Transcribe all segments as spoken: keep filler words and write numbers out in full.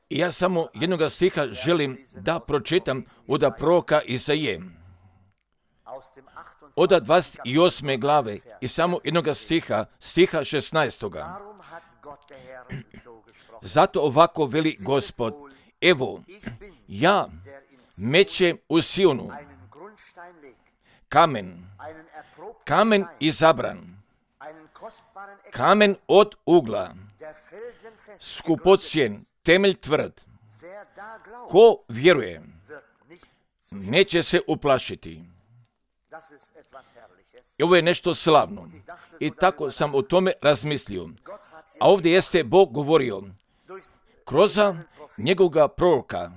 I ja samo jednoga stiha želim da pročitam od proroka Izaije. Od dvadeset osme glave i samo jednoga stiha, stiha šesnaestoga. Zato ovako veli Gospod, evo, ja mećem u Sionu kamen, kamen izabran, kamen od ugla, skupocjen, temelj tvrd. Ko vjeruje, neće se uplašiti. I ovo je nešto slavno. I tako sam o tome razmislio. A ovdje jeste Bog govorio kroz njegovoga proroka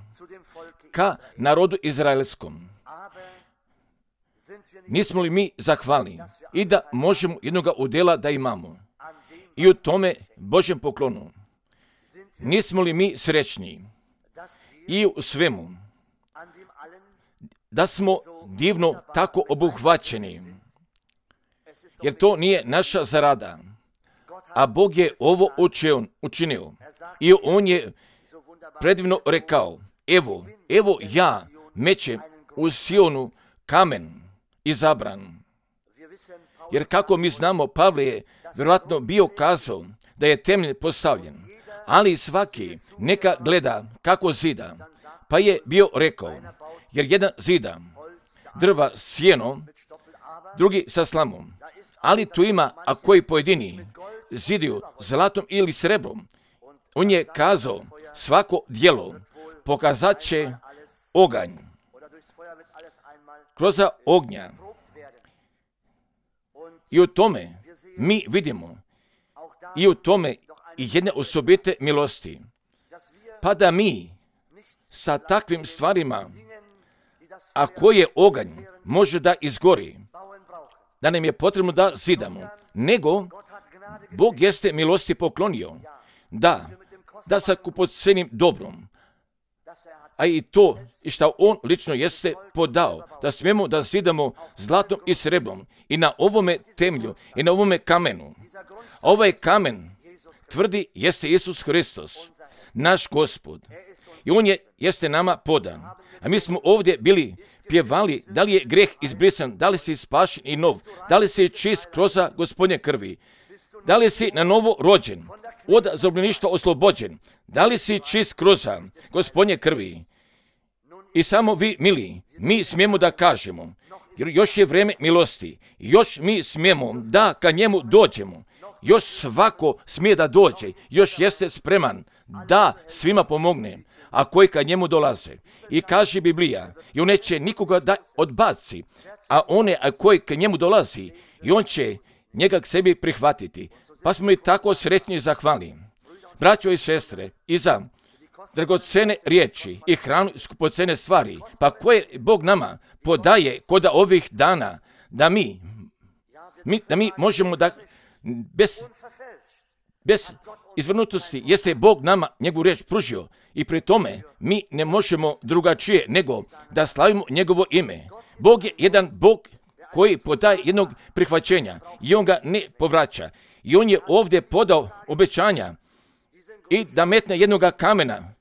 ka narodu izraelskom. Nismo li mi zahvalni i da možemo jednoga udjela da imamo i u tome Božjem poklonu? Nismo li mi srećni i u svemu da smo divno tako obuhvaćeni, jer to nije naša zarada, a Bog je ovo učinio i On je predivno rekao, evo, evo ja mećem u Sionu kamen izabran. Jer kako mi znamo, Pavle je vjerojatno bio kazao da je temelj postavljen, ali svaki neka gleda kako zida, pa je bio rekao, jer jedan zida drva sjeno, drugi sa slamom, ali tu ima, a koji pojedini zidiju zlatom ili srebrom, on je kazao, svako djelo pokazat će oganj kroz ognja. I u tome mi vidimo i u tome i jedne osobite milosti. Pa da mi sa takvim stvarima, a koje oganj može da izgori, da nam je potrebno da zidamo, nego Bog jeste milosti poklonio, da, da sa kupocenim dobrom, a i to i što On lično jeste podao, da smijemo da zidamo zlatom i sreblom i na ovome temelju i na ovome kamenu. A ovaj kamen tvrdi jeste Isus Hristos, naš Gospod. I On je, jeste nama podan. A mi smo ovdje bili pjevali da li je greh izbrisan, da li si spašen i nov, da li si čist kroz Gospodnje krvi, da li si na novo rođen, od zarobljeništva oslobođen, da li si čist kroz Gospodnje krvi. I samo vi, mili, mi smijemo da kažemo, jer još je vrijeme milosti, još mi smijemo da ka njemu dođemo, još svako smije da dođe, još jeste spreman da svima pomogne, a koji ka njemu dolaze. I kaže Biblija, i on neće nikoga da odbaci, a one a koji ka njemu dolazi, i on će njega k sebi prihvatiti. Pa smo i tako sretni i zahvalni. Braćo i sestre, i za dragocene riječi i hranu i skupocene stvari, pa koje Bog nama podaje kod ovih dana, da mi, mi, da mi možemo da bez, bez izvrnutosti jeste Bog nama njegovu riječ pružio i pri tome mi ne možemo drugačije nego da slavimo njegovo ime. Bog je jedan Bog koji podaje jednog prihvaćenja i on ga ne povraća. I on je ovdje podao obećanja i da metne jednoga kamena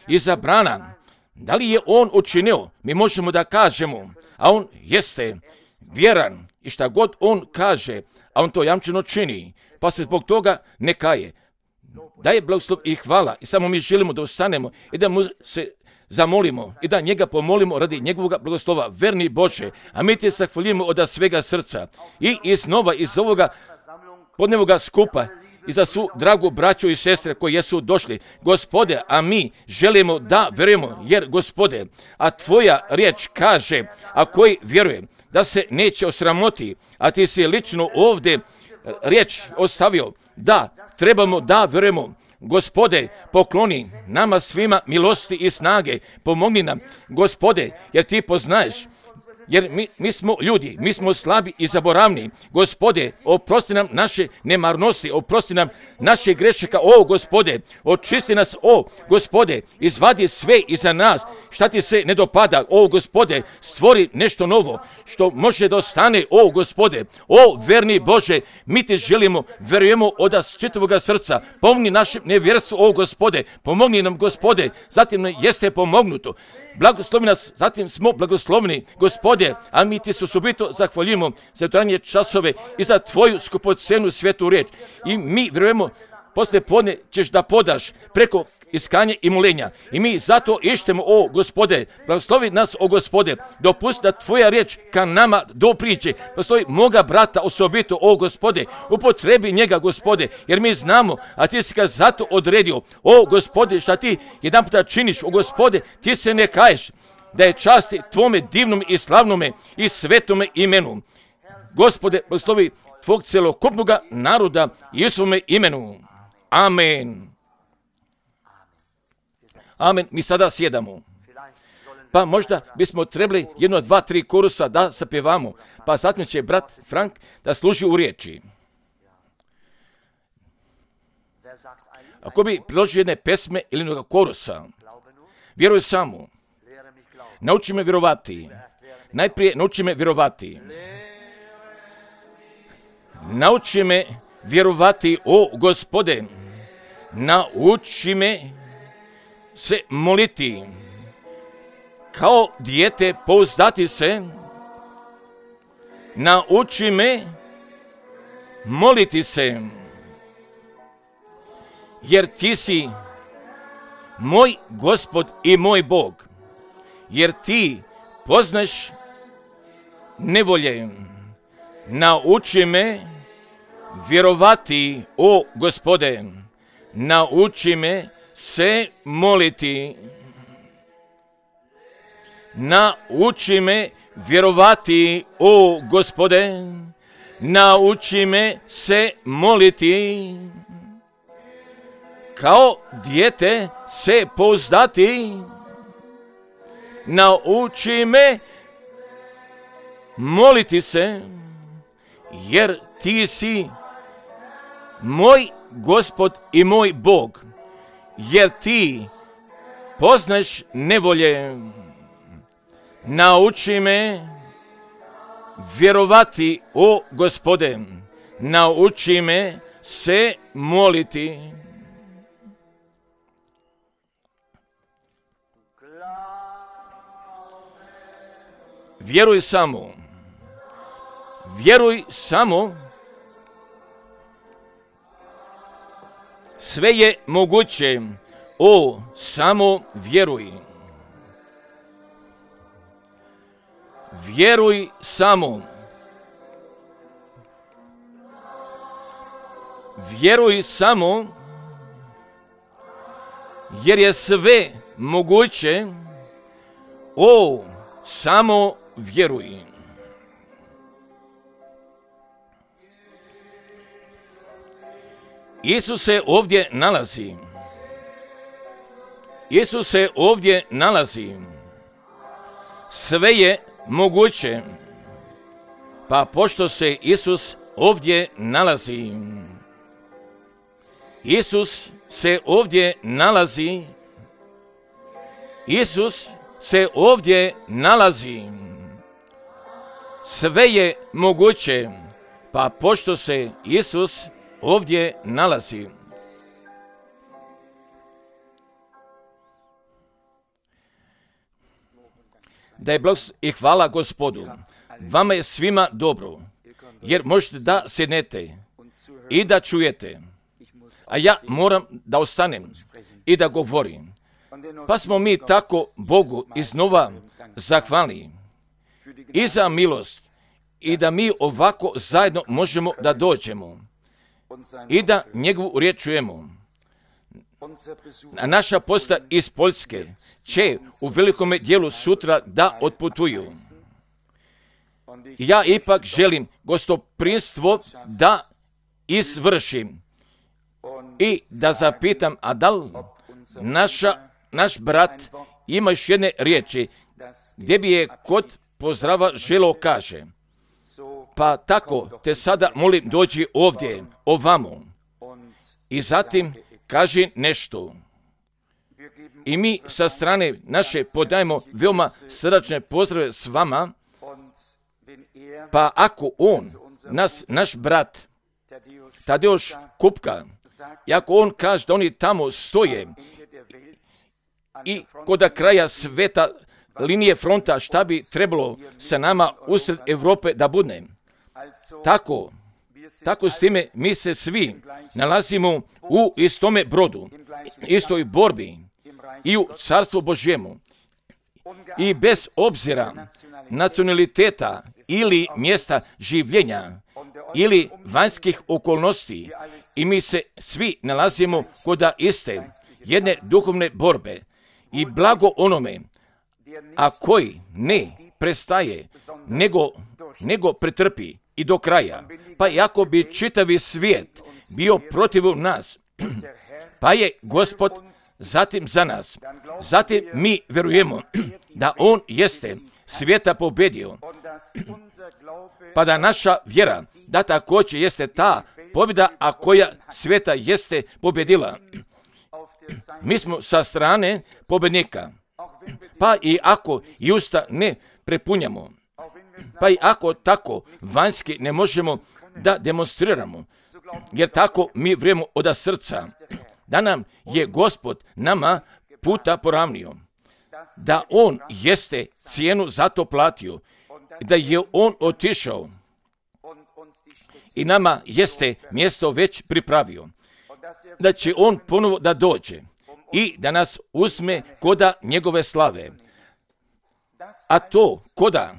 izabrana. Da li je on učinio? Mi možemo da kažemo, a on jeste vjeran i šta god on kaže, a on to jamčeno čini, pa se zbog toga ne kaje. Daje blagoslov i hvala i samo mi želimo da ustanemo i da mu se zamolimo i da njega pomolimo radi njegovog blagoslova. Verni Bože, a mi ti zahvaljujemo od svega srca i iznova iz ovoga podnevoga skupa i za svu dragu braću i sestre koji jesu došli. Gospode, a mi želimo da vjerujemo, jer Gospode, a tvoja riječ kaže, a koji vjeruje da se neće osramoti, a ti si lično ovdje riječ ostavio, da trebamo da vjerujemo. Gospode, pokloni nama svima milosti i snage, pomogni nam, Gospode, jer ti poznaješ jer mi, mi smo ljudi, mi smo slabi i zaboravni. Gospode, oprosti nam naše nemarnosti, oprosti nam naše grešaka, o Gospode, očisti nas, o Gospode, izvadi sve iza nas, šta ti se ne dopada, o Gospode, stvori nešto novo, što može da ostane, o Gospode, o verni Bože, mi te želimo, verujemo od nas čitavoga srca, pomogni našem nevjerstvu, o Gospode, pomogni nam, Gospode, zatim nam jeste pomognuto, blagoslovi nas, zatim smo blagoslovni, Gospode, a mi ti se osobito zahvaljujemo za trajanje časove i za tvoju skupocenu svetu riječ. I mi vjerujemo, posle podne ćeš da podaš preko iskanja i molenja. I mi zato ištemo, o Gospode, blagoslovi nas, o Gospode, dopusti da tvoja riječ ka nama dopriđe. Blagoslovi moga brata osobito, o Gospode, upotrebi njega, Gospode, jer mi znamo, a ti si ga zato odredio, o Gospode, šta ti jedan puta činiš, o Gospode, ti se ne kaješ, da je časti tvome divnom i slavnome i svetome imenu. Gospode, blagoslovi tvog celokupnog naroda i u svome imenu. Amen. Amen. Mi sada sjedamo. Pa možda bismo trebali jedno, dva, tri korusa da sapjevamo. Pa zatim će brat Frank da služi u riječi. Ako bi priložio jedne pesme ili jednog korusa, vjeruj samo. Nauči me vjerovati. Najprije nauči me vjerovati. Nauči me vjerovati, o Gospode. Nauči me se moliti. Kao dijete pouzdati se. Nauči me moliti se. Jer ti si moj Gospod i moj Bog. Jer ti poznaš nevolje. Nauči me vjerovati, o Gospode. Nauči me se moliti. Nauči me vjerovati, o Gospode. Nauči me se moliti. Kao dijete se pouzdati. Nauči me moliti se, jer ti si moj Gospod i moj Bog, jer ti poznaš nevolje. Nauči me vjerovati, o Gospode, nauči me se moliti. Vjeruj samo, vjeruj samo, sve je moguće, o, samo vjeruj. Vjeruj samo, vjeruj samo, jer je sve moguće, o, samo vjeruj. Isus se ovdje nalazi. Isus se ovdje nalazi. Sve je moguće. Pa pošto se Isus ovdje nalazi, Isus se ovdje nalazi, Isus se ovdje nalazi. Sve je moguće, pa pošto se Isus ovdje nalazi. Da je blagoslov i hvala Gospodu. Vama je svima dobro, jer možete da sjednete i da čujete. A ja moram da ostanem i da govorim. Pa smo mi tako Bogu iznova zahvalni i za milost i da mi ovako zajedno možemo da dođemo i da njegovu riječ čujemo. Naša posta iz Poljske će u velikome dijelu sutra da otputuju. Ja ipak želim gostoprinstvo da izvršim i da zapitam, a da li naša, naš brat ima još jedne riječi gdje bi je kod pozdrava želo kaže, pa tako te sada molim dođi ovdje, ovamo. I zatim kaže nešto. I mi sa strane naše podajemo veoma srdačne pozdrave s vama, pa ako on, nas, naš brat, Tadeusz Kupka, i ako on kaže da oni tamo stoje i kod kraja sveta linije fronta šta bi trebalo sa nama usred Europe da bude. Tako, tako s time mi se svi nalazimo u istome brodu, istoj borbi i u Carstvu Božjemu. I bez obzira nacionaliteta ili mjesta življenja ili vanjskih okolnosti, i mi se svi nalazimo kod iste jedne duhovne borbe. I blago onome, a koji ne prestaje, nego, nego pretrpi i do kraja. Pa iako bi čitavi svijet bio protiv nas, pa je Gospod zatim za nas. Zatim mi vjerujemo da on jeste svijeta pobedio, pa da naša vjera da također jeste ta pobjeda, a koja svijeta jeste pobjedila. Mi smo sa strane pobjednika, pa i ako i usta ne prepunjamo, pa i ako tako vanjski ne možemo da demonstriramo, jer tako mi vrijemo od srca, da nam je Gospod nama puta poravnio, da on jeste cijenu za to platio, da je on otišao i nama jeste mjesto već pripravio, da će on ponovo da dođe i da nas uzme koda njegove slave. A to koda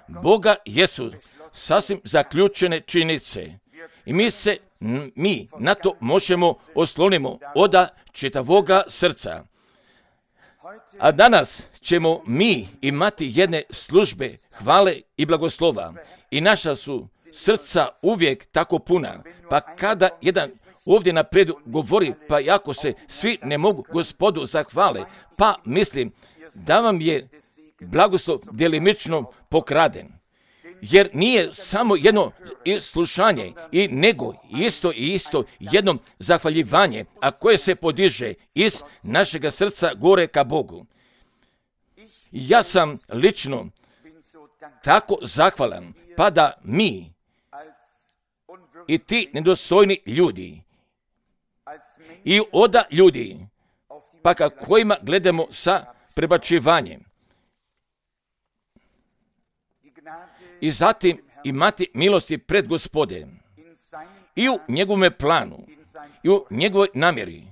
Boga jesu sasvim zaključene činjenice. I mi se, mi na to možemo oslonimo od čitavoga srca. A danas ćemo mi imati jedne službe hvale i blagoslova. I naša su srca uvijek tako puna. Pa kada jedan ovdje napred govori, pa ako se svi ne mogu Gospodu zahvale, pa mislim da vam je blagoslov delimično pokraden. Jer nije samo jedno slušanje, i nego isto i isto jedno zahvaljivanje, a koje se podiže iz našega srca gore ka Bogu. Ja sam lično tako zahvalan, pa da mi i ti nedostojni ljudi i oda ljudi, pa ka kojima gledamo sa prebačivanjem, i zatim imati milosti pred Gospodem i u njegovome planu i u njegovoj namjeri,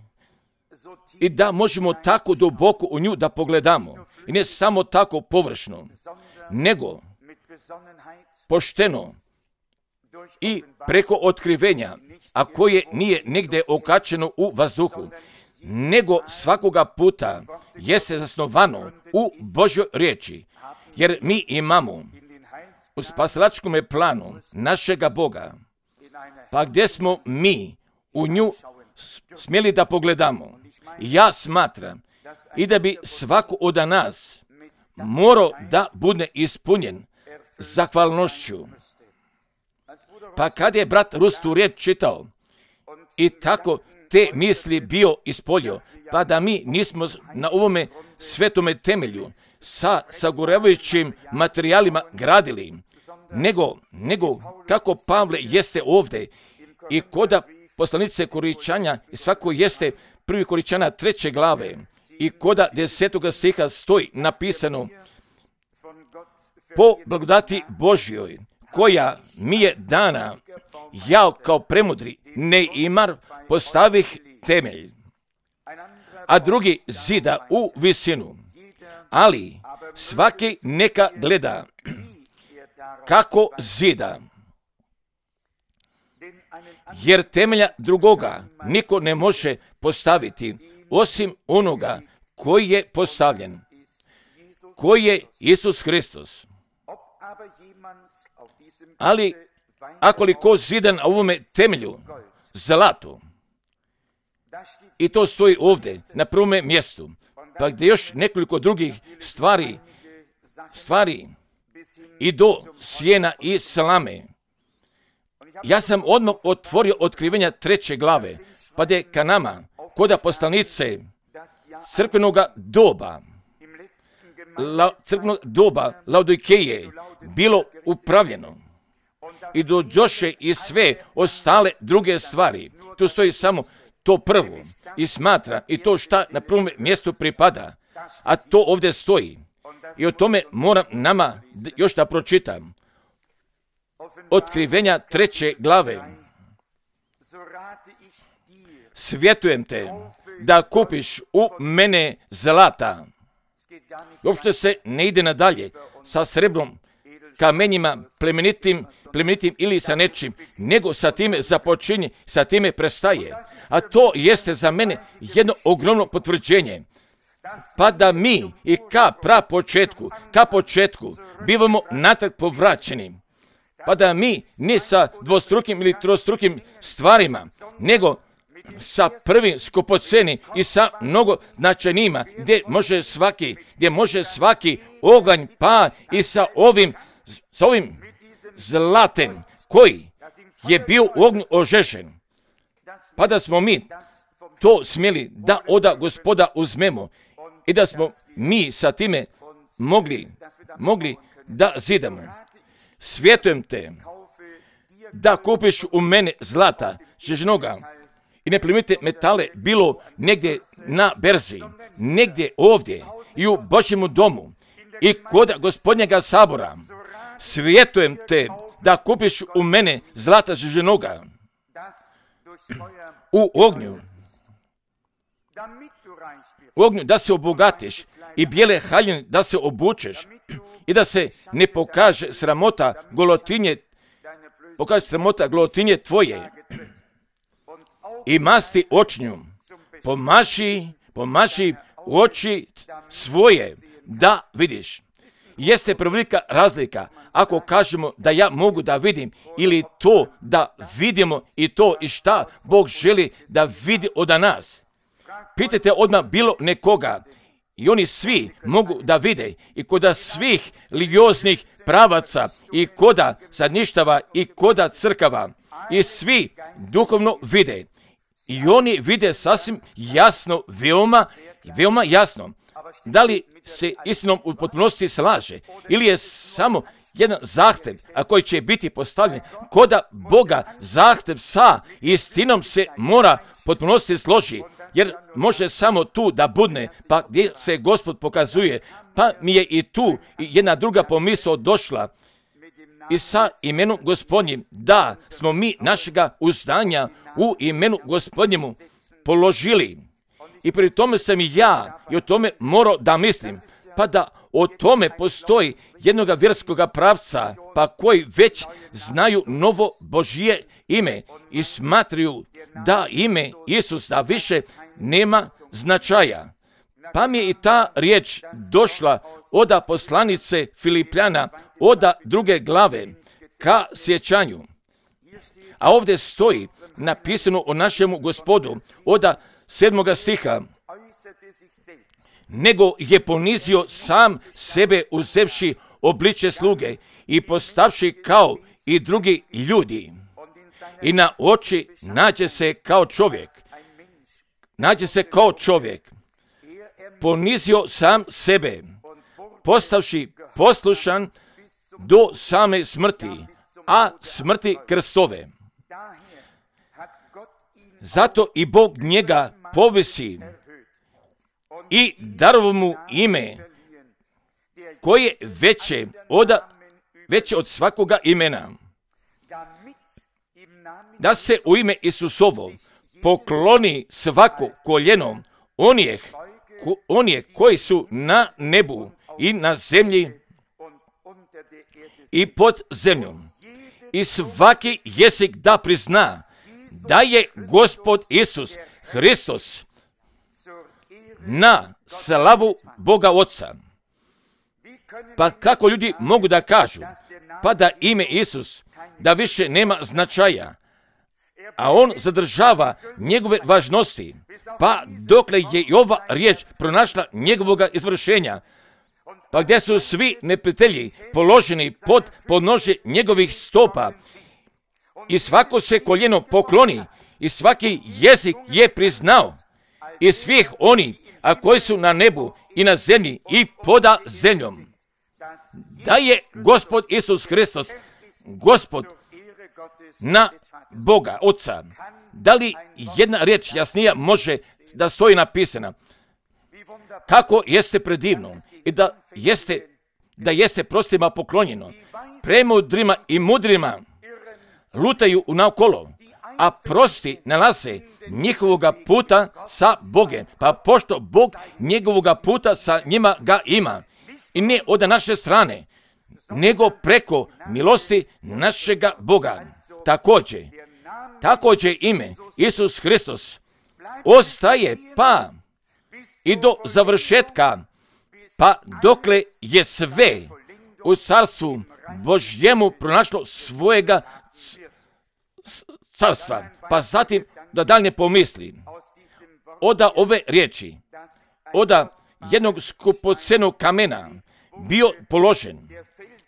i da možemo tako duboko u nju da pogledamo, i ne samo tako površno, nego pošteno i preko otkrivenja, a koje nije negdje okačeno u vazduhu, nego svakoga puta jeste zasnovano u Božjoj riječi, jer mi imamo u spasilačkom planu našega Boga, pa gdje smo mi u nju smjeli da pogledamo. Ja smatram i da bi svako od nas morao da bude ispunjen zahvalnošću. Pa kad je brat Rus tu riječ čitao i tako te misli bio ispolio, pa da mi nismo na ovome svetome temelju sa sagoravajućim materijalima gradili, nego, nego kako Pavle jeste ovdje i koda poslanice Koričanja, i svako jeste prvi Koričana treće glave, i koda desetoga stiha stoji napisano: po blagodati Božjoj koja mi je dana, ja kao premudri Neimar postavih temelj, a drugi zida u visinu, ali svaki neka gleda kako zida, jer temelja drugoga niko ne može postaviti osim onoga koji je postavljen, koji je Isus Hristos. Ali akoliko zida na ovome temelju zlato, i to stoji ovdje na prvome mjestu, pa gdje još nekoliko drugih stvari, stvari i do sjena i slame. Ja sam odmah otvorio otkrivenja treće glave, pa da je ka nama, koda poslanice crkvenog doba, la, crkvenog doba Laodikeje, bilo upravljeno. I dođoše i sve ostale druge stvari. Tu stoji samo to prvo i smatra i to šta na prvom mjestu pripada, a to ovdje stoji. I o tome moram nama još da pročitam. Otkrivenja treće glave. Svjetujem te da kupiš u mene zlata. Uopšte se ne ide nadalje sa srebrom, kamenjima, plemenitim, plemenitim ili sa nečim, nego sa time započinje, sa time prestaje. A to jeste za mene jedno ogromno potvrđenje. Pa da mi i ka pra početku, ka početku, bivamo natrag povraćeni. Pa da mi ne sa dvostrukim ili trostrukim stvarima, nego sa prvim skupoceni i sa mnogo značajnijima, gdje može svaki, gdje može svaki oganj pa i sa ovim, sa ovim zlatem koji je bio u ognju ožešen. Pa da smo mi to smjeli da oda Gospoda uzmemo i da smo mi sa time mogli, mogli da zidamo. Svjetujem te da kupiš u mene zlata, žežnoga i neplemenite metale, bilo negdje na berzi, negdje ovdje i u Božjemu domu i kod Gospodnjega sabora. Svjetujem te da kupiš u mene zlata žežnoga u ognju, u ognju da se obogatiš i bijele haljine da se obučeš i da se ne pokaže sramota golotinje, pokaže sramota golotinje tvoje i masti očnju, pomaši, pomaši oči svoje da vidiš. Jeste prevelika razlika ako kažemo da ja mogu da vidim ili to da vidimo i to i šta Bog želi da vidi od nas. Pitajte odmah bilo nekoga i oni svi mogu da vide i koda svih religioznih pravaca i koda zadnjištava i koda crkava i svi duhovno vide. I oni vide sasvim jasno, veoma, veoma jasno. Da li se istinom u potpunosti slaže ili je samo jedan zahtev, a koji će biti postavljen koda Boga, zahtev sa istinom se mora potpunosti složi, jer može samo tu da budne, pa gdje se Gospod pokazuje, pa mi je i tu jedna druga pomisao došla i sa imenom Gospodnjim, da smo mi našega uzdanja u imenu Gospodnjemu položili. I pri tome sam i ja i o tome morao da mislim, pa da o tome postoji jednoga vjerskoga pravca, pa koji već znaju novo Božje ime i smatraju da ime Isus da više nema značaja. Pa mi je i ta riječ došla oda poslanice Filipljana, oda druge glave, ka sjećanju. A ovdje stoji napisano o našemu Gospodu, oda sedmoga stiha, nego je ponizio sam sebe uzevši obličje sluge i postavši kao i drugi ljudi. I na oči nađe se kao čovjek. Nađe se kao čovjek. Ponizio sam sebe, postavši poslušan do same smrti, a smrti krstove. Zato i Bog njega povisi i darovo mu ime koje veće od, veće od svakoga imena. Da se u ime Isusovo pokloni svako koljeno onih, onih koji su na nebu i na zemlji i pod zemljom. I svaki jezik da prizna da je Gospod Isus Hristos na slavu Boga Oca. Pa kako ljudi mogu da kažu, pa da ime Isus, da više nema značaja, a on zadržava njegove važnosti, pa dokle je i ova riječ pronašla njegovoga izvršenja, pa gdje su svi neprijatelji položeni pod podnožje njegovih stopa i svako se koljeno pokloni i svaki jezik je priznao i svih oni, a koji su na nebu i na zemlji i poda zemljom, da je Gospod Isus Hristos, Gospod na Boga, Oca. Da li jedna riječ jasnija može da stoji napisana? Kako jeste predivno i da jeste, da jeste prostima poklonjeno, premudrima i mudrima lutaju naokolo, a prosti nalaze njihovoga puta sa Bogem, pa pošto Bog njegovoga puta sa njima ga ima, i ne od naše strane, nego preko milosti našega Boga. Također, također ime Isus Hristos ostaje pa i do završetka, pa dokle je sve u carstvu Božjemu pronašlo svojega carstva. Pa zatim da dalje pomisli, oda ove riječi, oda jednog skupocenog kamena bio položen,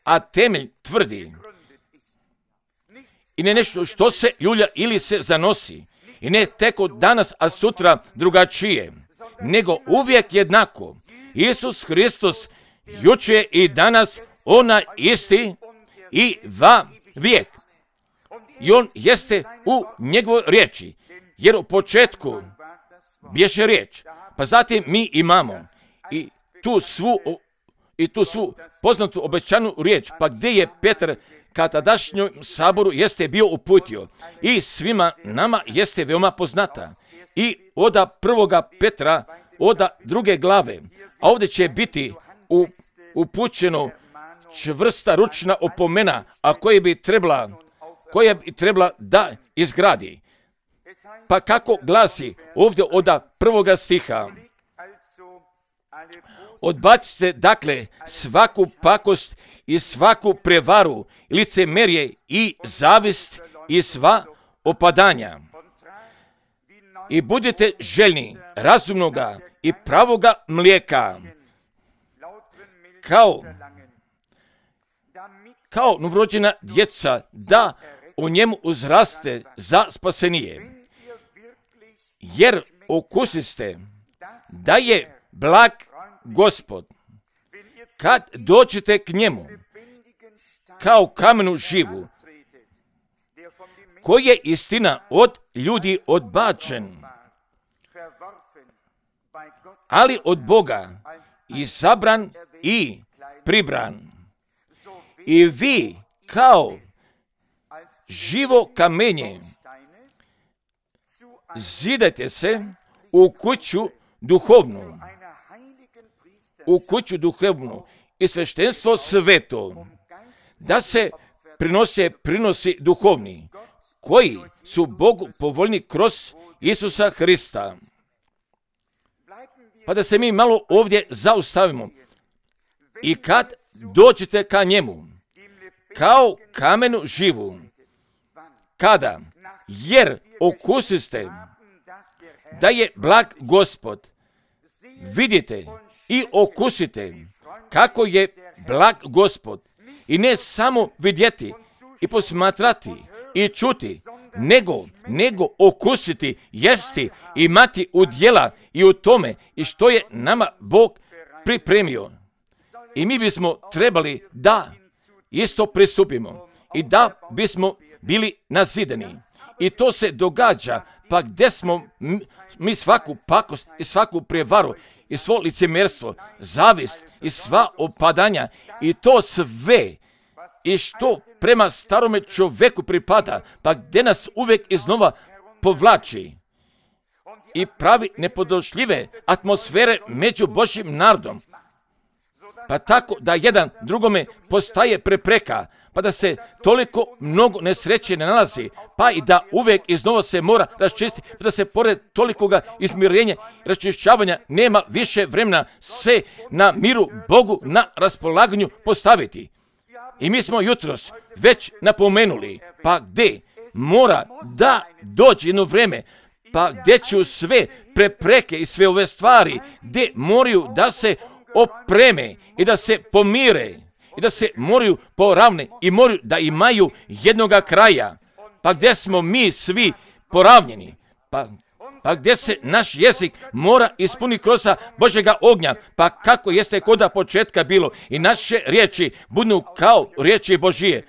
a temelj tvrdi. I ne nešto što se ljulja ili se zanosi. I ne teko danas, a sutra drugačije, nego uvijek jednako. Isus Hristos jučer i danas ona isti i va vijek. I on jeste u njegovoj riječi, jer u početku bješe riječ, pa zatim mi imamo i tu svu, i tu svu poznatu obećanu riječ, pa gdje je Petar ka tadašnjom saboru jeste bio uputio i svima nama jeste veoma poznata. I oda prvoga Petra, oda druge glave, a ovdje će biti upućeno čvrsta ručna opomena, a koja bi trebala, koja bi trebala da izgradi. Pa kako glasi ovdje oda prvoga stiha? Odbacite dakle svaku pakost i svaku prevaru, licemerje i zavist i sva opadanja. I budite željni razumnoga i pravoga mlijeka, kao, kao novorođena djeca, da u njemu uzraste za spasenije. Jer okusiste da je blag Gospod, kad dođete k njemu, kao kamenu živu, koji je istina od ljudi odbačen, ali od Boga izabran i pribran. I vi kao živo kamenje zidajte se u kuću duhovnu, u kuću duhovnu i sveštenstvo sveto, da se prinose prinosi duhovni, koji su Bogu povoljni kroz Isusa Hrista. Pa da se mi malo ovdje zaustavimo. I kad dođete ka njemu, kao kamenu živu, kada, jer okusiste da je blag Gospod, vidite i okusite kako je blag Gospod, i ne samo vidjeti i posmatrati i čuti, nego, nego okusiti, jesti, imati udjela i u tome i što je nama Bog pripremio. I mi bismo trebali da isto pristupimo i da bismo bili nazidani. I to se događa, pa gdje smo mi svaku pakost i svaku prevaru i svo licemjerstvo, zavist i sva opadanja i to sve i što prema starome čovjeku pripada, pa gdje nas uvijek iznova povlači i pravi nepodnošljive atmosfere među Božjim narodom, pa tako da jedan drugome postaje prepreka, pa da se toliko mnogo nesreće ne nalazi, pa i da uvijek iznova se mora raščistiti, pa da se pored tolikoga izmirenja i raščišćavanja nema više vremena se na miru Bogu na raspolaganju postaviti. I mi smo jutros već napomenuli, pa gdje mora da dođe jedno vrijeme, pa gdje će sve prepreke i sve ove stvari, gdje moraju da se opreme i da se pomire i da se moraju poravne i moraju da imaju jednoga kraja. Pa gdje smo mi svi poravnjeni? Pa, pa gdje se naš jezik mora ispuniti kroz Božjega ognja? Pa kako jeste koda početka bilo i naše riječi budu kao riječi Božije.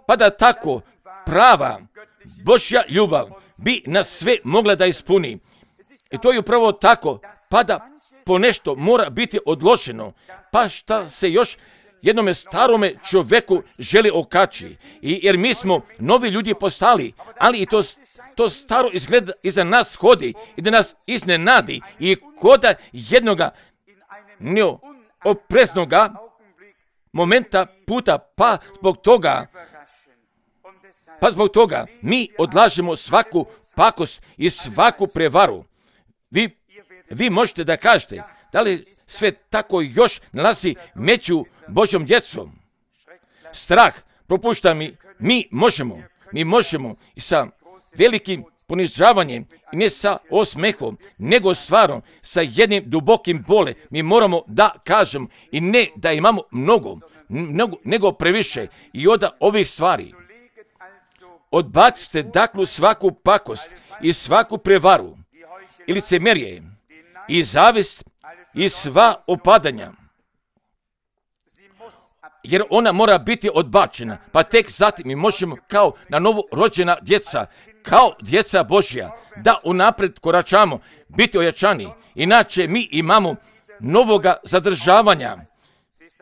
Pa da tako prava Božja ljubav bi nas sve mogla da ispuni. I to je upravo tako, pa da ponešto mora biti odločeno, pa šta se još jednome starome čovjeku želi okači. I jer mi smo novi ljudi postali, ali i to, to staro izgleda iza nas hodi i da nas iznenadi i koda jednoga neopreznoga momenta puta, pa zbog toga Pa zbog toga mi odlažemo svaku pakost i svaku prevaru. Vi, vi možete da kažete, da li sve tako još nalazi među Božjom djecom? Strah propušta mi, mi možemo, mi možemo i sa velikim ponižavanjem i ne sa osmehom, nego stvarno sa jednim dubokim bole. Mi moramo da kažemo i ne da imamo mnogo, mnogo nego previše i od ovih stvari. Odbacite dakle svaku pakost i svaku prevaru i licemerje i zavist i sva opadanja. Jer ona mora biti odbačena, pa tek zatim mi možemo kao na novo rođena djeca, kao djeca Božja, da unaprijed koračamo, biti ojačani. Inače mi imamo novoga zadržavanja,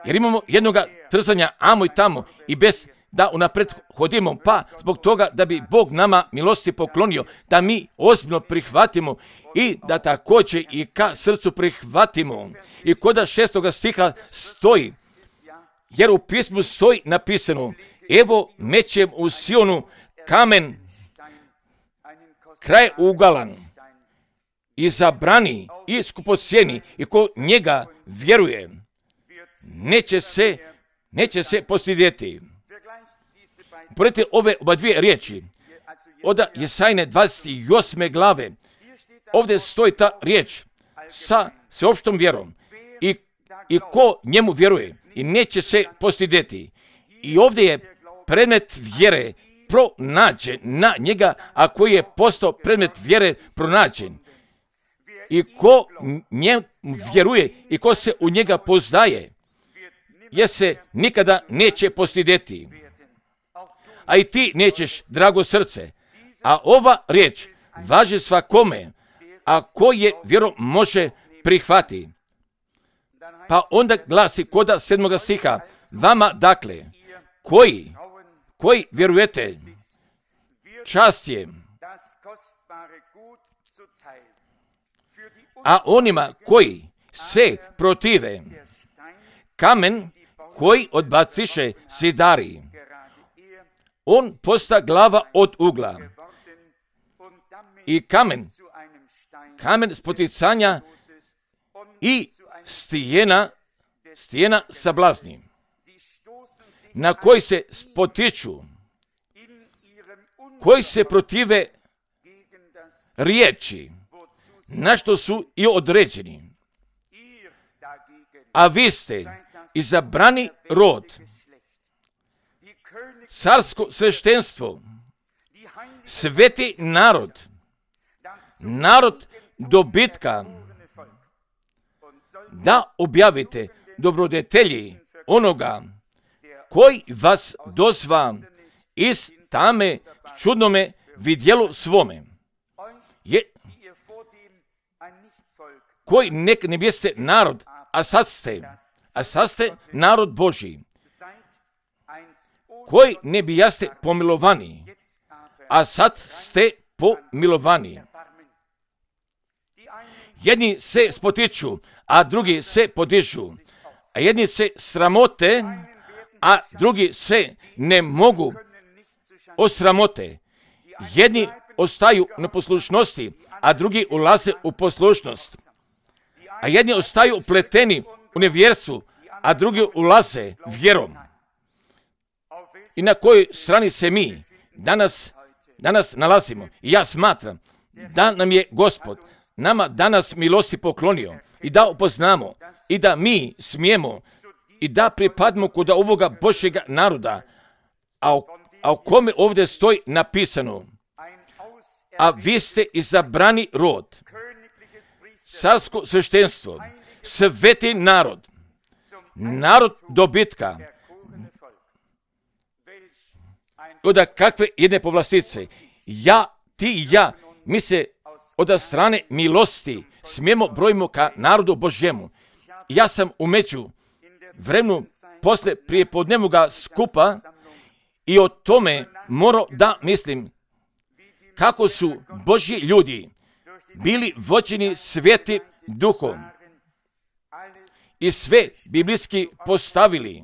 jer imamo jednoga trzanja amo i tamo i bez da unaprijed hodimo, pa zbog toga da bi Bog nama milosti poklonio, da mi ozbiljno prihvatimo i da također i ka srcu prihvatimo. I koda šestoga stiha stoji, jer u pismu stoji napisano, evo mećem u Sionu kamen kraj ugalan i zabrani i skupocjeni i ko njega vjeruje, neće se, neće se postidjeti. Poredite ove oba dvije riječi, od Jesajne dvadeset osme glave, ovdje stoji ta riječ sa sveopštom vjerom i, i ko njemu vjeruje i neće se postidjeti. I ovdje je predmet vjere pronađen na njega, a koji je postao predmet vjere pronađen. I ko njemu vjeruje i ko se u njega poznaje, je se nikada neće postidjeti. A i ti nećeš, drago srce. A ova riječ važi svakome, a ko je vjerom može prihvati. Pa onda glasi koda sedmoga stiha, vama dakle, koji, koji vjerujete, čast je, a onima koji se protive, kamen koji odbaciše zidari, on posta glava od ugla i kamen, kamen spoticanja i stijena, stijena sablazni, na koji se spotiču, koji se protive riječi, na što su i određeni. A vi ste izabrani rod, carsko sveštenstvo, sveti narod, narod dobitka, da objavite dobrodetelji onoga koji vas dozva iz tame čudnome vidjelu svome. Je, koji nek ne biste narod, a sad ste, a sad ste narod Božji, koji ne bijaste pomilovani, a sad ste pomilovani. Jedni se spotiču, a drugi se podižu, a jedni se sramote, a drugi se ne mogu osramote. Jedni ostaju na poslušnosti, a drugi ulaze u poslušnost. A jedni ostaju upleteni u nevjerstvu, a drugi ulaze vjerom. I na kojoj strani se mi danas, danas nalazimo? I ja smatram da nam je Gospod nama danas milosti poklonio i da upoznamo i da mi smijemo i da pripadimo kod ovoga Božjega naroda, a o, a o kome ovdje stoji napisano: a vi ste izabrani rod, carsko sveštenstvo, sveti narod, narod dobitka. Od kakve jedne povlastice? Ja, ti i ja, mi se od strane milosti smijemo brojimo ka narodu Božjemu. Ja sam umeđu vremenu posle prijepodnevnoga skupa i o tome morao da mislim kako su Božji ljudi bili vođeni Svetim Duhom i sve biblijski postavili.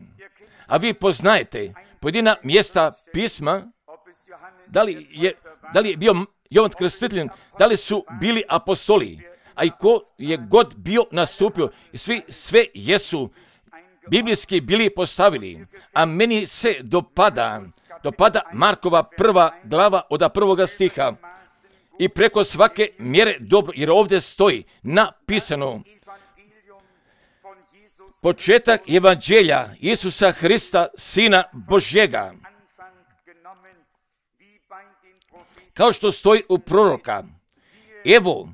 A vi poznajete pojedina mjesta pisma, da li je, da li je bio Jovan Krstitelj, da li su bili apostoli, a i ko je god bio nastupio, svi sve jesu biblijski bili postavili. A meni se dopada, dopada Markova prva glava od prvoga stiha i preko svake mjere dobro, jer ovdje stoji napisano: početak evanđelja Isusa Hrista, Sina Božjega. Kao što stoji u proroka: evo,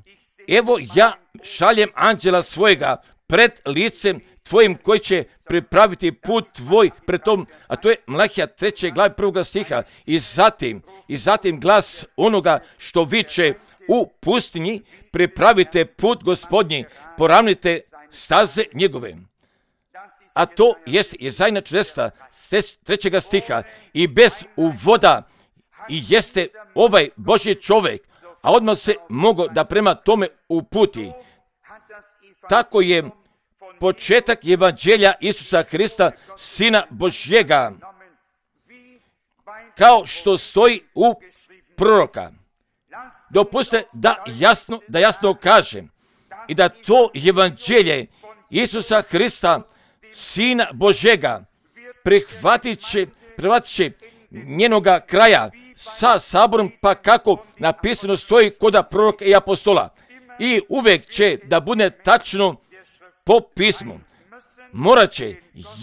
evo ja šaljem anđela svojega pred licem tvojim koji će pripraviti put tvoj pred tom, a to je Malahija treće glave prvoga stiha. I zatim, i zatim glas onoga što viče u pustinji: pripravite put Gospodnji, poravnite staze njegove. A to jest Jesaja četrdeset trećega stiha. I bez uvoda i jeste ovaj Božji čovjek, a odmah se mogo da prema tome uputi. Tako je početak evanđelja Isusa Hrista, Sina Božjega, kao što stoji u proroka. Dopustite da jasno, da jasno kažem i da to evanđelje Isusa Hrista, Sina Božjega, prihvatit će, prihvatit će njenoga kraja sa saborom, pa kako napisano stoji kod proroka i apostola. I uvijek će da bude tačno po pismu. Morat će,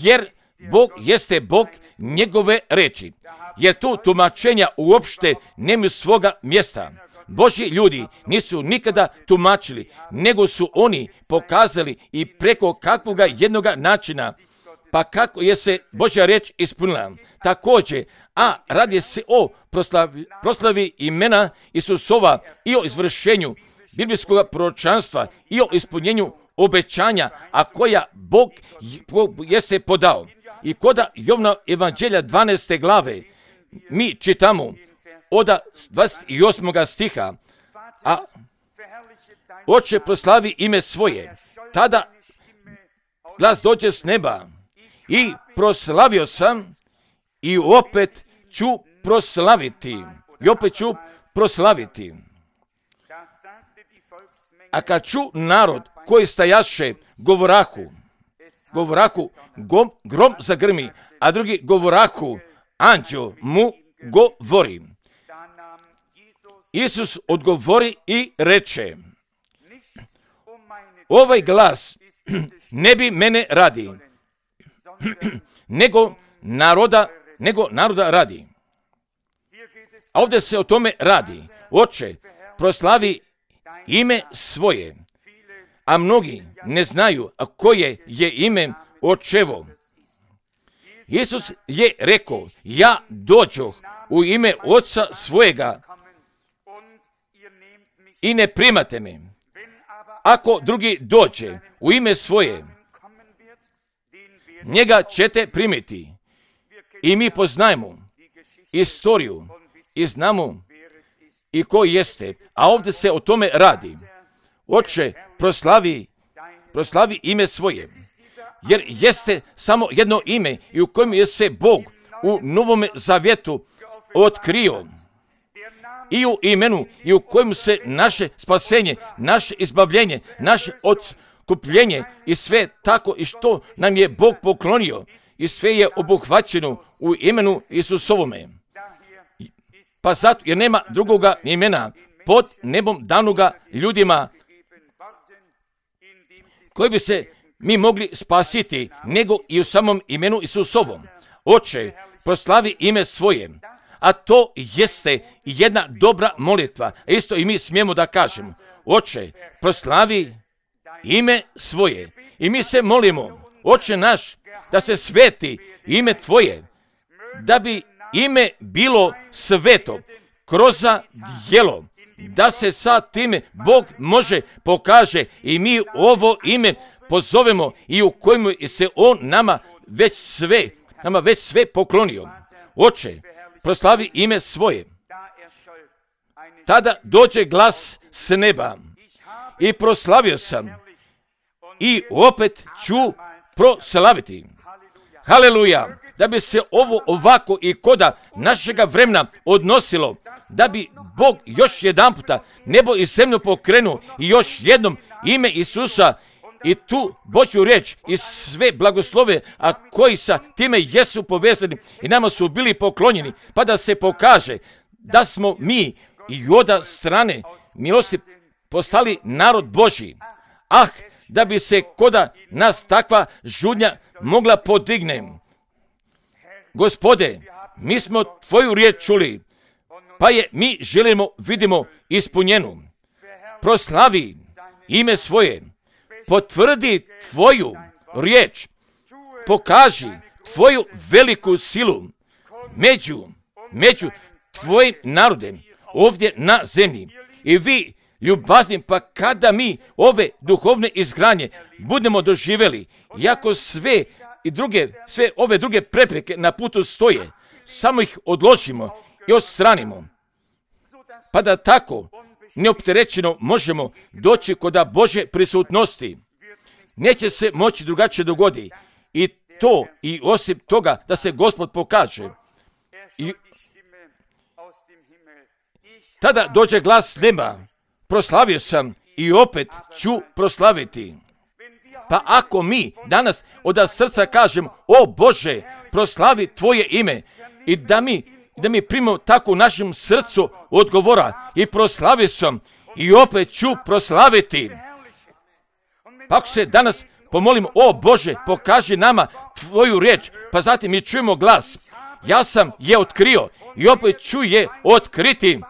jer Bog jeste Bog njegove reči. Jer tu tumačenja uopšte nemaju svoga mjesta. Božji ljudi nisu nikada tumačili, nego su oni pokazali i preko kakvoga jednoga načina, pa kako je se Božja reč ispunila. Također, a radi se o proslavi, proslavi imena Isusova i o izvršenju biblijskog proročanstva i o ispunjenju obećanja, a koja Bog jeste podao. I kod Jovna evanđelja dvanaeste glave mi čitamo od dvadeset osmog stiha: a Oče, proslavi ime svoje. Tada glas dođe s neba i proslavio sam i opet ću proslaviti. I opet ću proslaviti. A kad ču narod koji stajaše govorahu, govorahu gom, grom zagrmi, a drugi govorahu anđeo mu govori. Isus odgovori i reče: ovaj glas ne bi mene radi, nego naroda, nego naroda radi. A ovdje se o tome radi. Oče, proslavi ime svoje, a mnogi ne znaju a koje je ime Očevo. Isus je rekao: ja dođoh u ime Oca svojega i ne primate me. Ako drugi dođe u ime svoje, njega ćete primiti. I mi poznajemo istoriju i znamo i ko jeste, a ovdje se o tome radi. Oče, proslavi, proslavi ime svoje, jer jeste samo jedno ime i u kojem je se Bog u Novome Zavjetu otkrio. I u imenu i u kojem se naše spasenje, naše izbavljenje, naše otkupljenje i sve tako i što nam je Bog poklonio i sve je obuhvaćeno u imenu Isusovome. Pa zato jer nema drugoga imena pod nebom danoga ljudima koji bi se mi mogli spasiti, nego i u samom imenu Isusovom. Oče, proslavi ime svoje, a to jeste jedna dobra molitva. Isto i mi smijemo da kažemo. Oče, proslavi ime svoje. I mi se molimo, Oče naš, da se sveti ime tvoje, da bi ime bilo sveto kroz djelo, da se sa time Bog može pokaže i mi ovo ime pozovemo i u kojemu se On nama već sve, nama već sve poklonio. Oče, proslavi ime svoje. Tada dođe glas s neba i proslavio sam i opet ću proslaviti. Haleluja! Da bi se ovo ovako i koda našega vremena odnosilo, da bi Bog još jedan puta nebo i zemlju pokrenuo i još jednom ime Isusa i tu Božju riječ i sve blagoslove, a koji sa time jesu povezani i nama su bili poklonjeni, pa da se pokaže da smo mi i od strane milosti postali narod Božji. Ah, da bi se koda nas takva žudnja mogla podigne. Gospode, mi smo tvoju riječ čuli, pa je mi želimo, vidimo, ispunjenu. Proslavi ime svoje, potvrdi tvoju riječ, pokaži tvoju veliku silu među, među tvojim narodem ovdje na zemlji. I vi, ljubazni, pa kada mi ove duhovne izgranje budemo doživjeli, iako sve i druge, sve ove druge prepreke na putu stoje, samo ih odložimo i odstranimo, pa da tako neopterećeno možemo doći kod Božje prisutnosti. Neće se moći drugačije dogoditi i to i osim toga da se Gospod pokaže. I tada dođe glas neba, proslavio sam i opet ću proslaviti. Pa ako mi danas od srca kažemo, o Bože, proslavi tvoje ime i da mi, da mi primimo tako u našem srcu odgovora i proslavio sam i opet ću proslaviti. Pa ako se danas pomolimo, o Bože, pokaži nama tvoju riječ, pa zatim mi čujemo glas, ja sam je otkrio i opet ću je otkriti.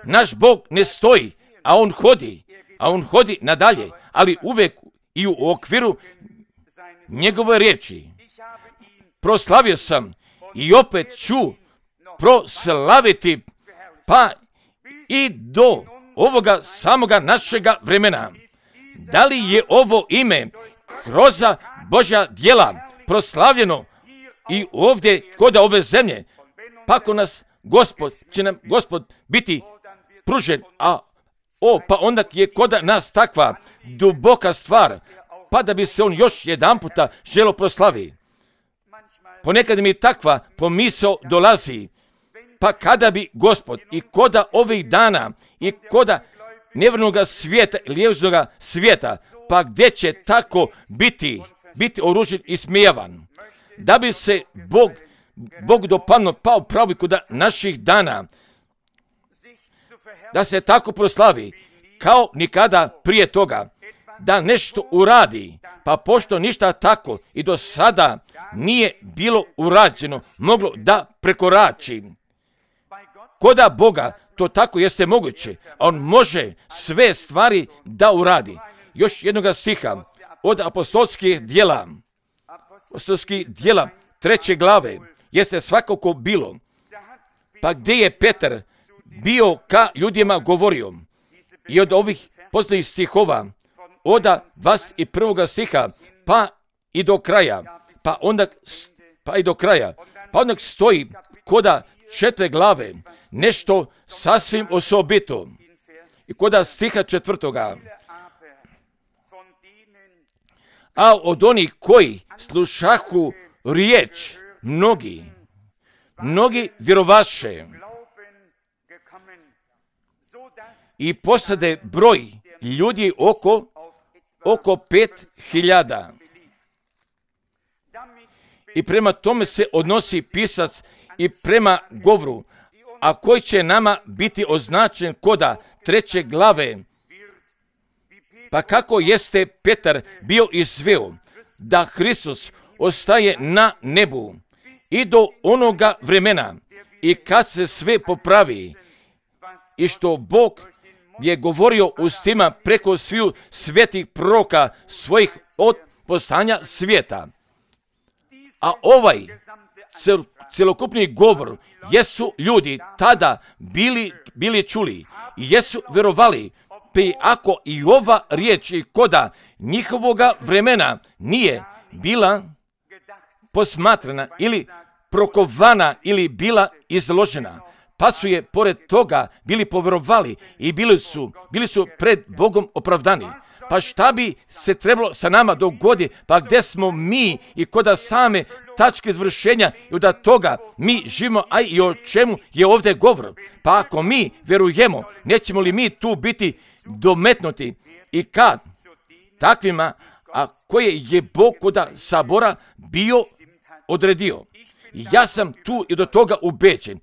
Naš Bog ne stoji, a On hodi, a On hodi nadalje, ali uvijek i u okviru njegove riječi. Proslavio sam i opet ću proslaviti, pa i do ovoga samoga našega vremena. Da li je ovo ime kroz Božja djela proslavljeno i ovdje kod ove zemlje, pa ako nas Gospod, će nam Gospod biti pružen, a o, pa onda je kod nas takva duboka stvar, pa da bi se on još jedan puta želo proslavi. Ponekad mi takva pomisao dolazi, pa kada bi Gospod i koda ovih dana i koda nevjernoga svijeta, lijevznoga svijeta, pa gdje će tako biti, biti oružen i smijavan, da bi se Bog, Bog dopadno pao pravi kod naših dana, da se tako proslavi, kao nikada prije toga, da nešto uradi, pa pošto ništa tako i do sada nije bilo urađeno, moglo da prekorači. Koda Boga to tako jeste moguće, a On može sve stvari da uradi. Još jednoga stiha od apostolskih djela, apostolskih djela treće glave, jeste svakako bilo, pa gdje je Petar bio ka ljudima govorio i od ovih poznatih stihova, od dvadeset prvog stiha, pa i do kraja, pa onda, pa i do kraja, pa onda stoji koda četiri glave, nešto sasvim osobito. I koda stiha četvrtoga, a od onih koji slušahu riječ, mnogi, mnogi vjerovaše i postade broj ljudi oko, oko pet hiljada. I prema tome se odnosi pisac i prema govoru, a koji će nama biti označen koda treće glave, Pa kako jeste Petar bio izveo da Hristos ostaje na nebu i do onoga vremena i kad se sve popravi i što Bog je govorio ustima preko sviju svetih proroka svojih od postanja svijeta. A ovaj cel, celokupni govor jesu ljudi tada bili, bili čuli i jesu verovali, pa ako i ova riječ i koda njihovoga vremena nije bila posmatrana ili prokovana ili bila izložena, pa su je pored toga bili poverovali i bili su, bili su pred Bogom opravdani. Pa šta bi se trebalo sa nama dogodi, pa gdje smo mi i koda same tačke izvršenja i od toga mi živimo, a i o čemu je ovdje govor. Pa ako mi verujemo, nećemo li mi tu biti dometnuti i kad takvima, a koje je Bog koda sabora bio odredio. Ja sam tu i do toga ubeđen,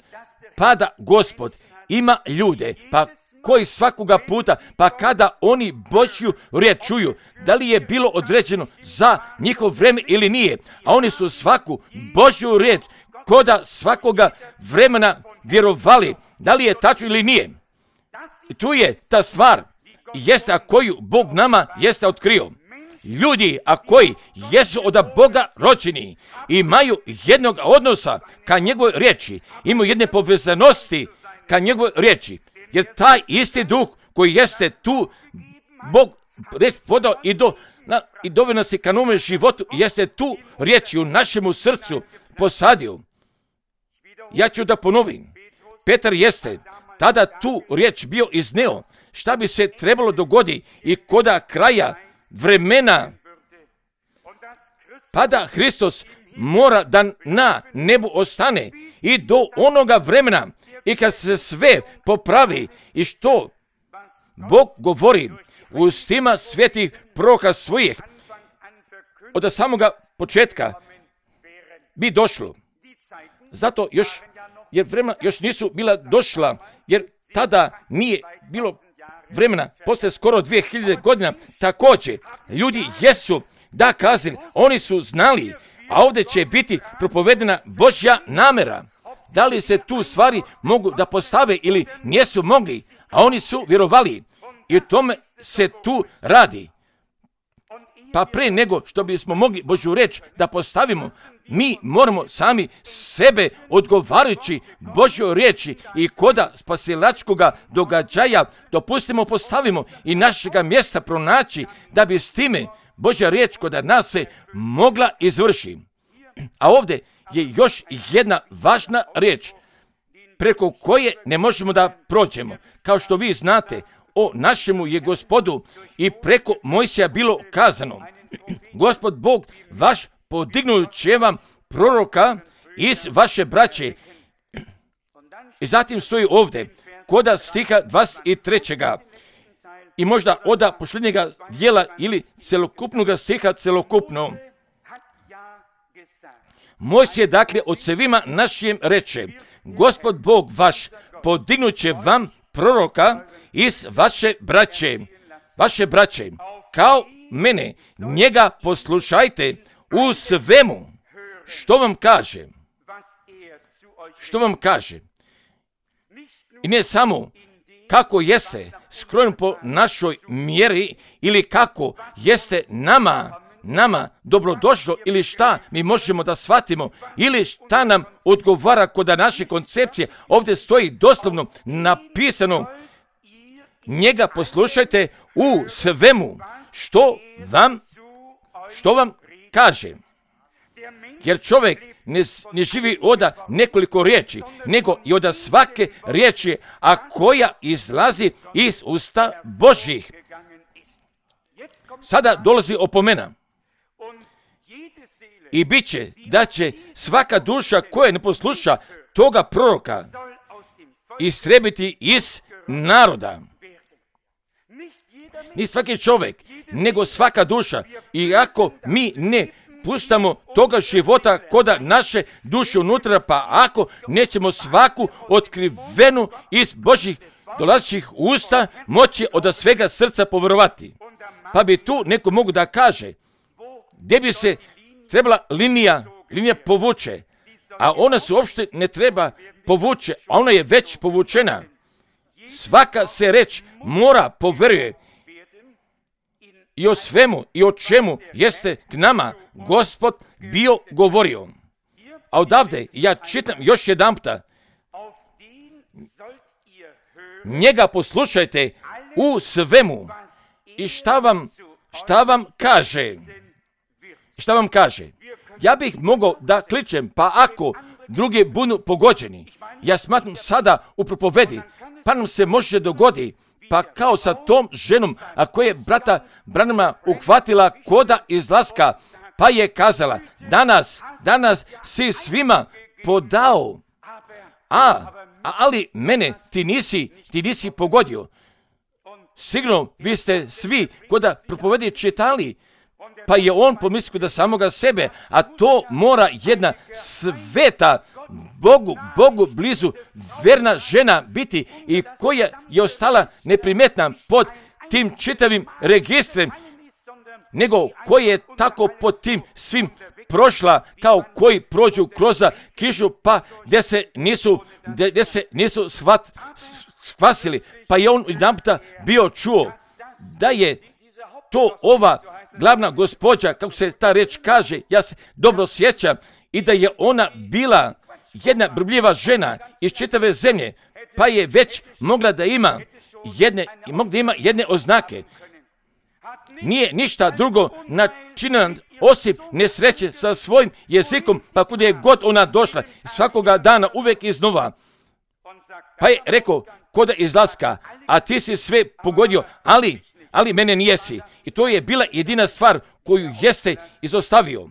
pa da Gospod ima ljude, pa koji svakoga puta, pa kada oni Božju riječ čuju, da li je bilo određeno za njihov vreme ili nije, a oni su svaku Božju riječ koda svakoga vremena vjerovali, da li je tačno ili nije. I tu je ta stvar, jeste a koju Bog nama jeste otkrio. Ljudi, a koji jesu od Boga rođeni, imaju jednog odnosa ka njegovoj riječi, imaju jedne povezanosti ka njegovoj riječi, jer taj isti duh koji jeste tu, Bog reč vodao i do na, i doveo nas i ka novome životu, jeste tu riječi u našemu srcu posadio. Ja ću da ponovim, Petar jeste tada tu riječ bio izneo, šta bi se trebalo dogodi i koda kraja vremena, pa da Hristos mora da na nebu ostane i do onoga vremena i kad se sve popravi i što Bog govori u ustima svetih proroka svojih od samoga početka bi došlo. Zato još, jer vremena još nisu bila došla, jer tada nije bilo vremena, poslije skoro dvije hiljade godina, također ljudi jesu da kazali, oni su znali, a ovdje će biti propovedena Božja namera. Da li se tu stvari mogu da postave ili nisu mogli, a oni su vjerovali i o tome se tu radi. Pa pre nego što bismo mogli Božju reč da postavimo, mi moramo sami sebe odgovarajući Božjoj riječi i koda spasilačkoga događaja dopustimo, postavimo i našega mjesta pronaći da bi s time Božja riječ koda nas se mogla izvršiti. A ovdje je još jedna važna riječ preko koje ne možemo da prođemo. Kao što vi znate, o našemu je Gospodu i preko Mojsija bilo kazano, Gospod Bog vaš podignut će vam proroka iz vaše braće. I zatim stoji ovdje, koda stiha dvadeset trećeg i možda oda posljednjega dijela ili celokupnog stiha celokupno. Mojsije dakle od svima našim reče, Gospod Bog vaš podignut će vam proroka iz vaše braće, vaše braće, kao mene, njega poslušajte u svemu, što vam kaže, što vam kaže. I ne samo kako jeste skrojen po našoj mjeri ili kako jeste nama, nama dobrodošlo ili šta mi možemo da shvatimo ili šta nam odgovara kod naše koncepcije. Ovdje stoji doslovno napisano, njega poslušajte u svemu, što vam, što vam kaže. Jer čovjek ne, ne živi od nekoliko riječi, nego i od svake riječi, a koja izlazi iz usta Božjih. Sada dolazi opomena. I bit će da će svaka duša koja ne posluša toga proroka istrebiti iz naroda. Ni svaki čovjek, nego svaka duša. I ako mi ne puštamo toga života koda naše duše unutra, pa ako nećemo svaku otkrivenu iz Božjih dolazećih usta moći od svega srca povjerovati. Pa bi tu neko mogu da kaže, gdje bi se trebala linija, linija povuče, a ona se uopšte ne treba povuče, a ona je već povučena. Svaka se reč mora poveruje i o svemu i o čemu jeste k nama Gospod bio govorio. A odavde ja čitam još jedanputa, njega poslušajte u svemu. I šta vam, šta vam kaže? Šta vam kaže? Ja bih mogao da kličem, pa ako drugi budu pogođeni, ja smatram sada u propovedi, pa nam se može dogodi, pa kao sa tom ženom, a koja je brata Branhama uhvatila koda izlaska, pa je kazala, danas, danas si svima podao, a, a ali mene ti nisi, ti nisi pogodio. Sigurno vi ste svi koda propovedi čitali, pa je on pomislio da samoga sebe, a to mora jedna sveta, Bogu, Bogu blizu, verna žena biti i koja je ostala neprimetna pod tim čitavim registrem, nego koja je tako pod tim svim prošla kao koji prođu kroz kišu, pa gdje se nisu, gdje, gdje se nisu shvat, spasili, pa je on jedanputa bio čuo da je to ova glavna gospođa, kako se ta reč kaže, ja se dobro sjećam, i da je ona bila jedna brbljiva žena iz čitave zemlje, pa je već mogla da ima jedne, mogla da ima jedne oznake. Nije ništa drugo načinjeno osim nesreće sa svojim jezikom, pa kuda je god ona došla, svakoga dana uvek iznova. Pa je rekao, koda izlaska, a ti si sve pogodio, ali, ali mene nijesi. I to je bila jedina stvar koju jeste izostavio.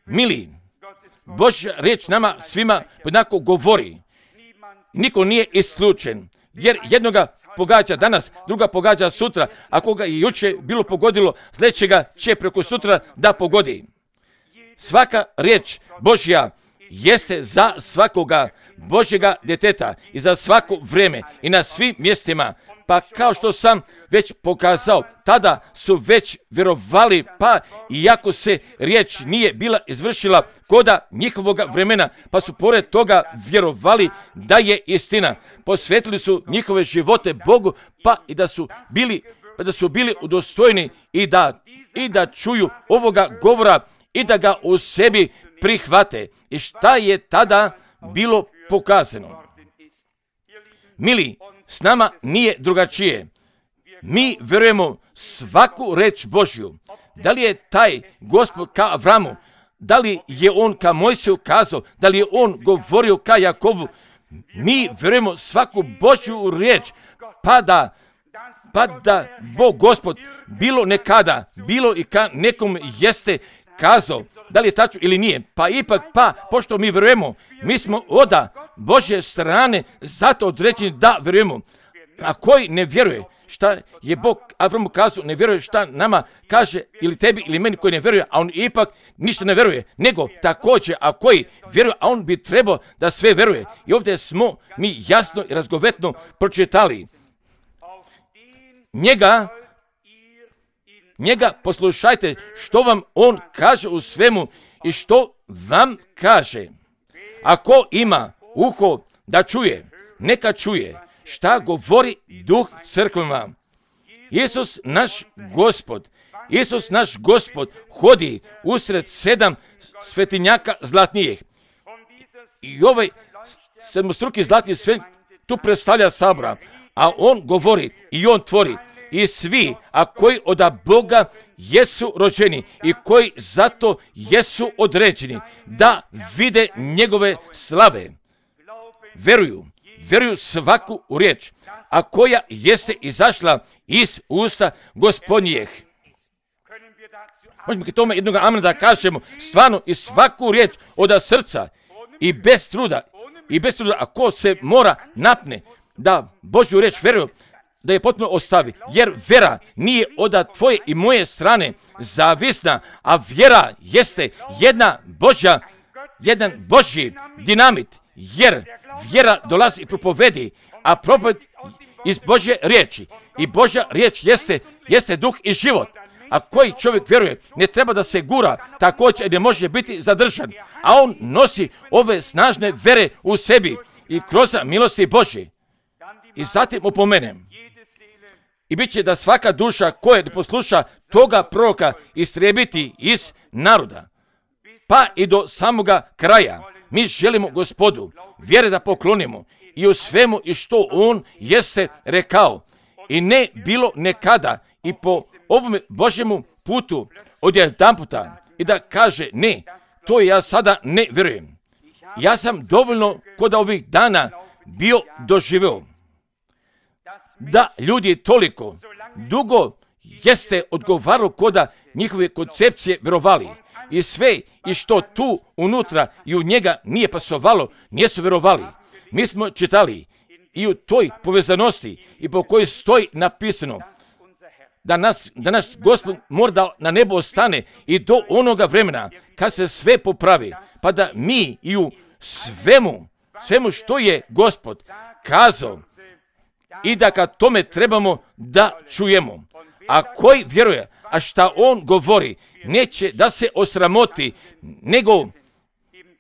Mili, Božja riječ nama svima jednako govori. Niko nije isključen, jer jednoga pogađa danas, druga pogađa sutra, a koga je juče bilo pogodilo, sljedećega će preko sutra da pogodi. Svaka riječ Božja jeste za svakoga Božjega djeteta i za svako vrijeme i na svim mjestima. Pa kao što sam već pokazao, tada su već vjerovali, pa iako se riječ nije bila izvršila koda njihovoga vremena, pa su pored toga vjerovali da je istina. Posvetili su njihove živote Bogu, pa i da su bili, pa da su bili udostojni i da, i da čuju ovoga govora i da ga u sebi prihvate. I šta je tada bilo pokazano? Mili, s nama nije drugačije. Mi vjerujemo svaku reč Božju. Da li je taj Gospod ka Avramu, da li je on ka Mojsiju kazao, da li je on govorio ka Jakovu, mi vjerujemo svaku Božju riječ, pa da, pa da Bog Gospod bilo nekada, bilo i ka nekom jeste kazao, da li je tačno ili nije, pa ipak, pa, pošto mi vjerujemo, mi smo oda Božje strane, zato određeni da vjerujemo. A koji ne vjeruje, šta je Bog Avramu kazao, ne vjeruje šta nama kaže, ili tebi, ili meni koji ne vjeruje, a on ipak ništa ne vjeruje, nego također, a koji vjeruje, a on bi trebao da sve vjeruje. I ovdje smo mi jasno i razgovetno pročitali. Njega, njega poslušajte što vam on kaže u svemu i što vam kaže. Ako ima uho da čuje, neka čuje šta govori Duh crkvama. Isus naš Gospod, Isus naš Gospod hodi usred sedam svetinjaka zlatnijih. I ovaj sedmostruki zlatni svet tu predstavlja sabora, a on govori i on tvori. I svi, a koji od Boga jesu rođeni i koji zato jesu određeni da vide njegove slave, veruju, veruju svaku riječ, a koja jeste izašla iz usta Gospodnjih. Možemo k tome jednog amena da kažemo, stvarno i svaku riječ od srca i bez truda, i bez truda, a ko se mora napne da Božju riječ veruje, da je potpuno ostavi, jer vjera nije od tvoje i moje strane zavisna, a vjera jeste jedna Božja, jedan Božji dinamit, jer vjera dolazi i propovedi, a propoved iz Božje riječi. I Božja riječ jeste, jeste duh i život. A koji čovjek vjeruje, ne treba da se gura, također ne može biti zadržan. A on nosi ove snažne vere u sebi i kroz milosti Božje. I zatim upomenem. I bit će da svaka duša koja ne posluša toga proroka istrijebiti iz naroda. Pa i do samoga kraja. Mi želimo Gospodu vjere da poklonimo i u svemu i što on jeste rekao. I ne bilo nekada i po ovome Božjemu putu odjedanputa i da kaže ne, to ja sada ne vjerujem. Ja sam dovoljno kod ovih dana bio doživeo da ljudi toliko dugo jeste odgovarao koda njihove koncepcije vjerovali. I sve i što tu unutra i u njega nije pasovalo, nisu vjerovali. Mi smo čitali i u toj povezanosti i po kojoj stoji napisano da nas, da naš Gospod mora da na nebo ostane i do onoga vremena kad se sve popravi, pa da mi i u svemu, svemu što je Gospod kazao i da kad tome trebamo da čujemo. A koji vjeruje, a šta on govori, neće da se osramoti, nego,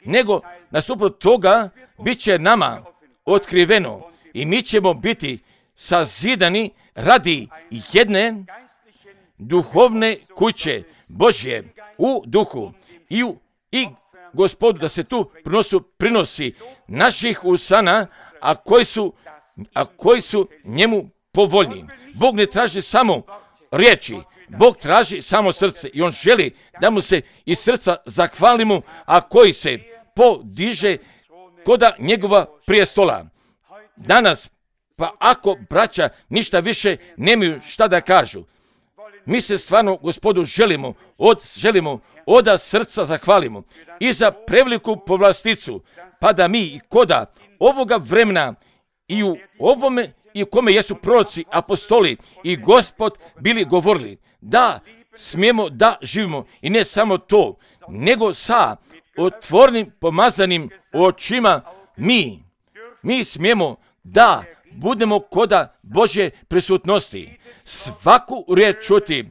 nego nasuprot toga bit će nama otkriveno i mi ćemo biti sazidani radi jedne duhovne kuće Božje u duhu i, u, i Gospodu da se tu prinosu, prinosi naših usana, a koji su, a koji su njemu povoljni. Bog ne traži samo riječi, Bog traži samo srce i on želi da mu se iz srca zahvalimo, a koji se podiže koda njegova prijestola. Danas, pa ako braća ništa više nemaju šta da kažu, mi se stvarno Gospodu želimo, od, želimo od srca zahvalimo i za preveliku povlasticu, pa da mi i koda ovoga vremena i u ovome i u kome jesu proroci, apostoli i Gospod bili govorili da smijemo da živimo i ne samo to, nego sa otvornim pomazanim očima mi, mi smijemo da budemo koda Božje prisutnosti, svaku riječ čuti,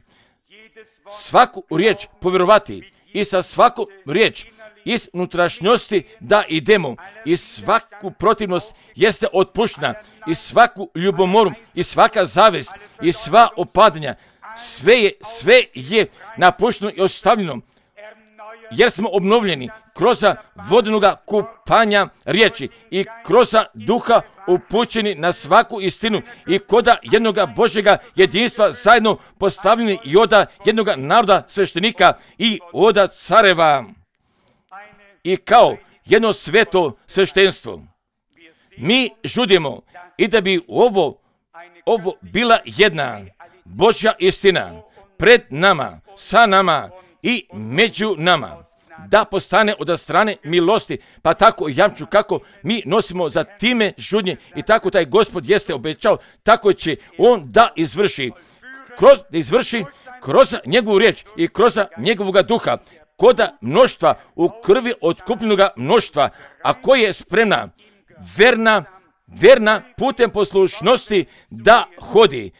svaku riječ povjerovati i sa svaku riječ iz unutrašnjosti da idemo i svaku protivnost jeste otpuštena i svaku ljubomoru i svaka zavist i sva opadanja, sve je, sve je napušteno i ostavljeno jer smo obnovljeni kroz vodenoga kupanja riječi i kroz duha upućeni na svaku istinu i koda jednoga Božjega jedinstva zajedno postavljeni i oda jednoga naroda sveštenika i oda careva i kao jedno sveto sveštenstvo. Mi žudimo i da bi ovo, ovo bila jedna Božja istina pred nama, sa nama i među nama, da postane od strane milosti, pa tako jamču kako mi nosimo za time žudnje i tako taj Gospod jeste obećao, tako će on da izvrši, kroz, da izvrši kroz njegovu riječ i kroz njegovoga duha, koda mnoštva u krvi otkupljenoga mnoštva, a koja je spremna, verna, verna putem poslušnosti da hodi.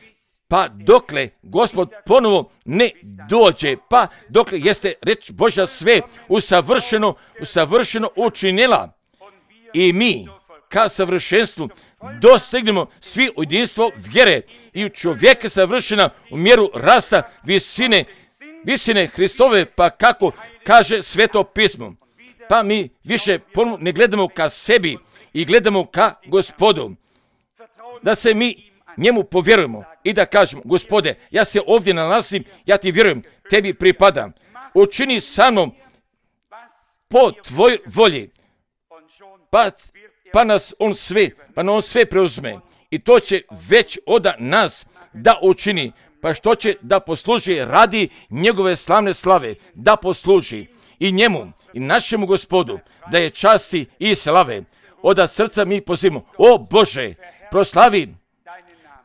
Pa dokle Gospod ponovo ne dođe, pa dokle jeste reč Božja sve usavršeno, usavršeno učinila i mi ka savršenstvu dostignemo svi u jedinstvo vjere i u čovjeka savršena u mjeru rasta visine, visine Hristove, pa kako kaže Sveto pismo. Pa mi više ponovo ne gledamo ka sebi i gledamo ka Gospodu, da se mi njemu povjerujemo i da kažemo, Gospode, ja se ovdje nalazim, ja ti vjerujem, tebi pripadam. Učini sa mnom po tvoj volji, pa, pa nas on sve, pa on sve preuzme. I to će već od nas da učini, pa što će da posluži radi njegove slavne slave, da posluži i njemu i našemu Gospodu, da je časti i slave. Od srca mi pozivamo, o Bože, proslavi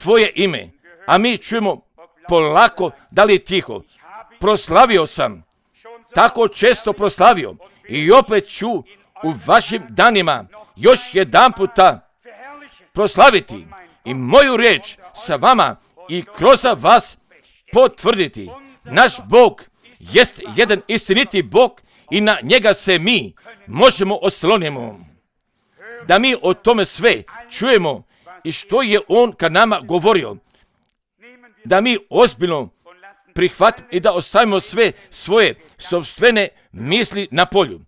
tvoje ime, a mi čujemo polako, da li je tiho. Proslavio sam, tako često proslavio i opet ću u vašim danima još jedan puta proslaviti i moju riječ sa vama i kroz vas potvrditi. Naš Bog jest jedan istiniti Bog i na njega se mi možemo oslonimo. Da mi o tome sve čujemo i što je on kad nama govorio. Da mi ozbiljno prihvatimo i da ostavimo sve svoje sopstvene misli na polju.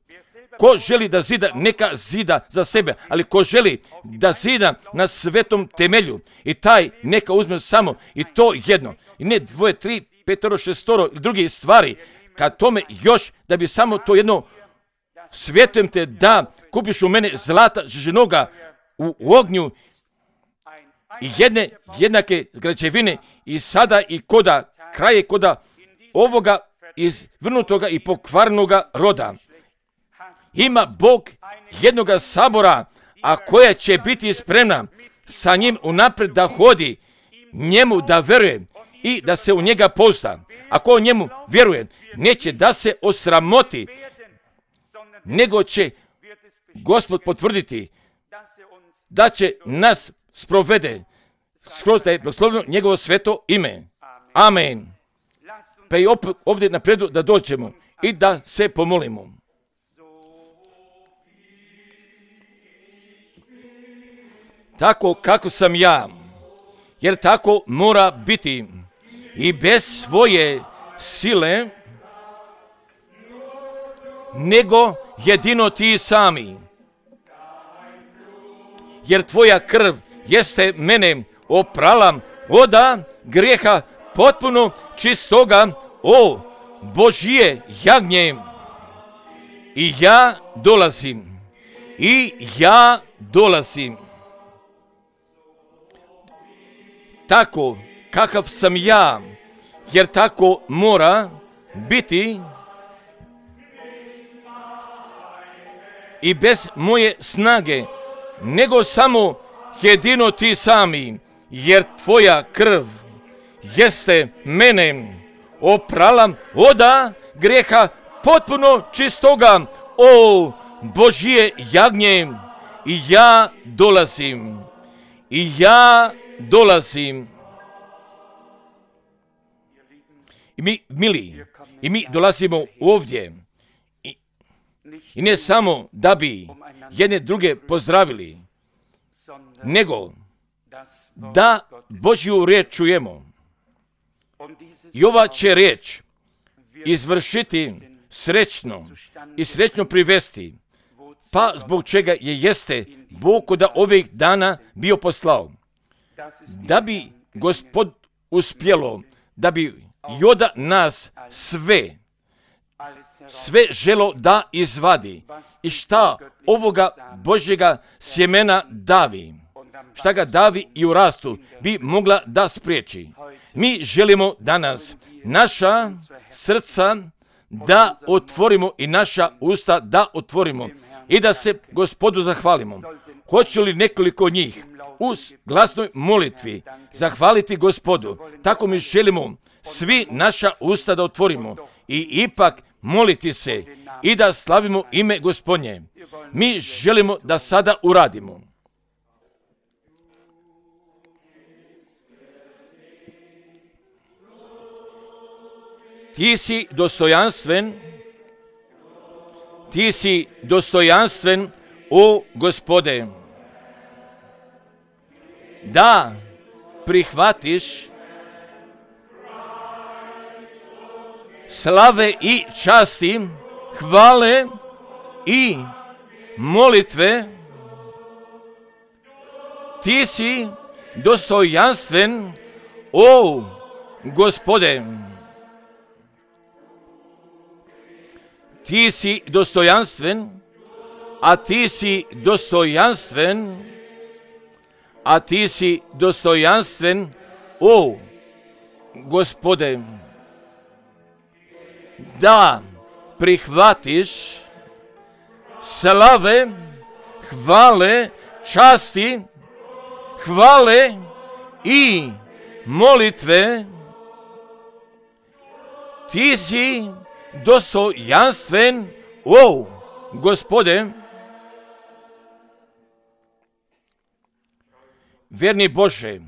Ko želi da zida, neka zida za sebe, ali ko želi da zida na svetom temelju i taj neka uzme samo i to jedno. I ne dvoje, tri, petoro, šestoro i druge stvari. Kad tome još da bi samo to jedno svjetujem te da kupiš u mene zlata ženoga u, u ognju i jedne jednake građevine i sada i koda kraje koda ovoga izvrnutoga i pokvarnoga roda. Ima Bog jednoga sabora, a koja će biti spremna sa njim unaprijed da hodi, njemu da veruje i da se u njega pozda. Ako njemu vjeruje, neće da se osramoti, nego će Gospod potvrditi da će nas sprovede skroz da je blagosloveno njegovo sveto ime. Amen. Pa i opet ovdje napredu da dođemo i da se pomolimo. Tako kako sam ja, jer tako mora biti i bez svoje sile, nego jedino ti sami. Jer tvoja krv jeste mene oprala oda grijeha potpuno čistoga, o Božje jagnje. I ja dolazim, i ja dolazim. Tako kakav sam ja, jer tako mora biti i bez moje snage, nego samo jedino ti sami, jer tvoja krv jeste mene oprala oda grijeha potpuno čistoga, o Božje jagnje. I ja dolazim, i ja dolazim. I mi, mili, i mi dolazimo ovdje i, i ne samo da bi jedne druge pozdravili, nego da Božju riječ čujemo. I ova će riječ izvršiti srećno i srećno privesti, pa zbog čega je jeste Bog da ovih dana bio poslao. Da bi Gospod uspjelo, da bi Joda nas sve, sve želo da izvadi. I šta ovoga Božjega sjemena davi, šta ga davi i u rastu, bi mogla da spriječi. Mi želimo danas naša srca da otvorimo i naša usta da otvorimo i da se Gospodu zahvalimo. Hoće li nekoliko njih uz glasnoj molitvi zahvaliti Gospodu? Tako mi želimo svi naša usta da otvorimo i ipak moliti se i da slavimo ime Gospodnje. Mi želimo da sada uradimo. Ti si dostojanstven, ti si dostojanstven, o Gospode, da prihvatiš slave i časti, hvale i molitve. Ti si dostojanstven, o Gospode. Ti si dostojanstven, a ti si dostojanstven, a ti si dostojanstven, o Gospode, da prihvatiš slave, hvale, časti, hvale i molitve. Ti si dostojanstven, o Gospode. Verni Bože,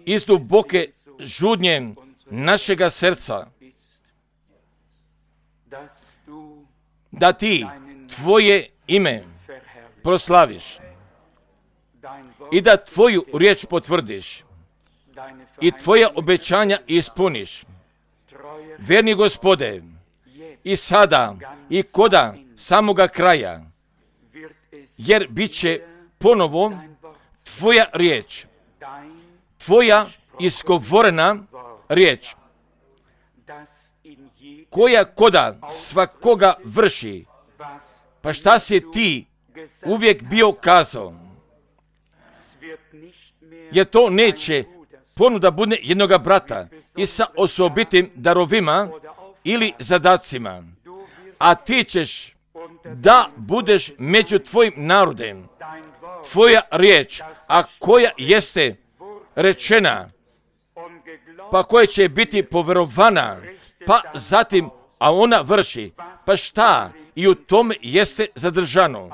iz duboke žudnje našega srca, da ti tvoje ime proslaviš i da tvoju riječ potvrdiš i tvoja obećanja ispuniš. Verni Gospode, i sada i koda samoga kraja, jer bit će ponovo tvoja riječ, tvoja izgovorena riječ, koja koda svakoga vrši. Pa šta si ti uvijek bio kazao? Jer to neće ponuda bude jednoga brata i sa osobitim darovima ili zadacima, a ti ćeš da budeš među tvojim narodem, tvoja riječ, a koja jeste rečena, pa koja će biti poverovana, pa zatim, a ona vrši, pa šta i u tome jeste zadržano.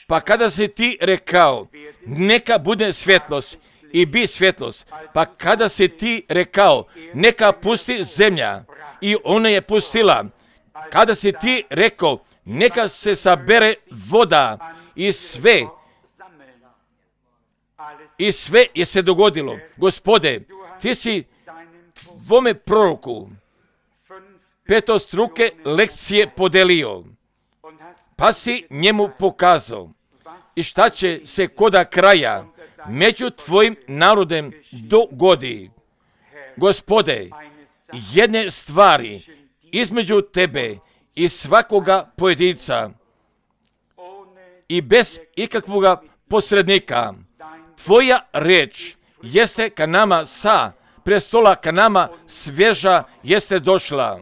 Pa kada si ti rekao, neka bude svjetlost i bi svjetlost, pa kada si ti rekao, neka pusti zemlja i ona je pustila, kada si ti rekao, neka se sabere voda i sve, i sve je se dogodilo. Gospode, ti si tvome proroku petostruke lekcije podelio, pa si njemu pokazao i šta će se koda kraja među tvojim narodem dogodi. Gospode, jedne stvari između tebe i svakoga pojedinca i bez ikakvoga posrednika, tvoja riječ jeste ka nama sa prestola, ka nama svježa jeste došla.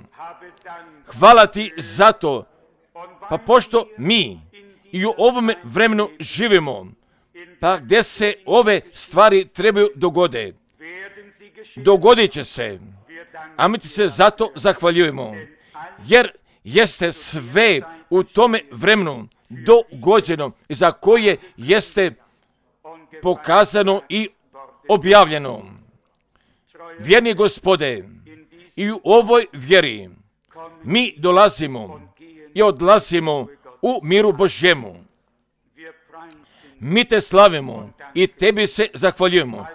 Hvala ti za to, pa pošto mi i u ovome vremenu živimo, pa gdje se ove stvari trebaju dogode, dogodit će se, a mi ti se zato zahvaljujemo, jer jeste sve u tome vremenu dogođeno, za koje jeste pokazano i objavljeno. Vjerni Gospode, i u ovoj vjeri mi dolazimo i odlazimo u miru Božjemu. Mi te slavimo i tebi se zahvaljujemo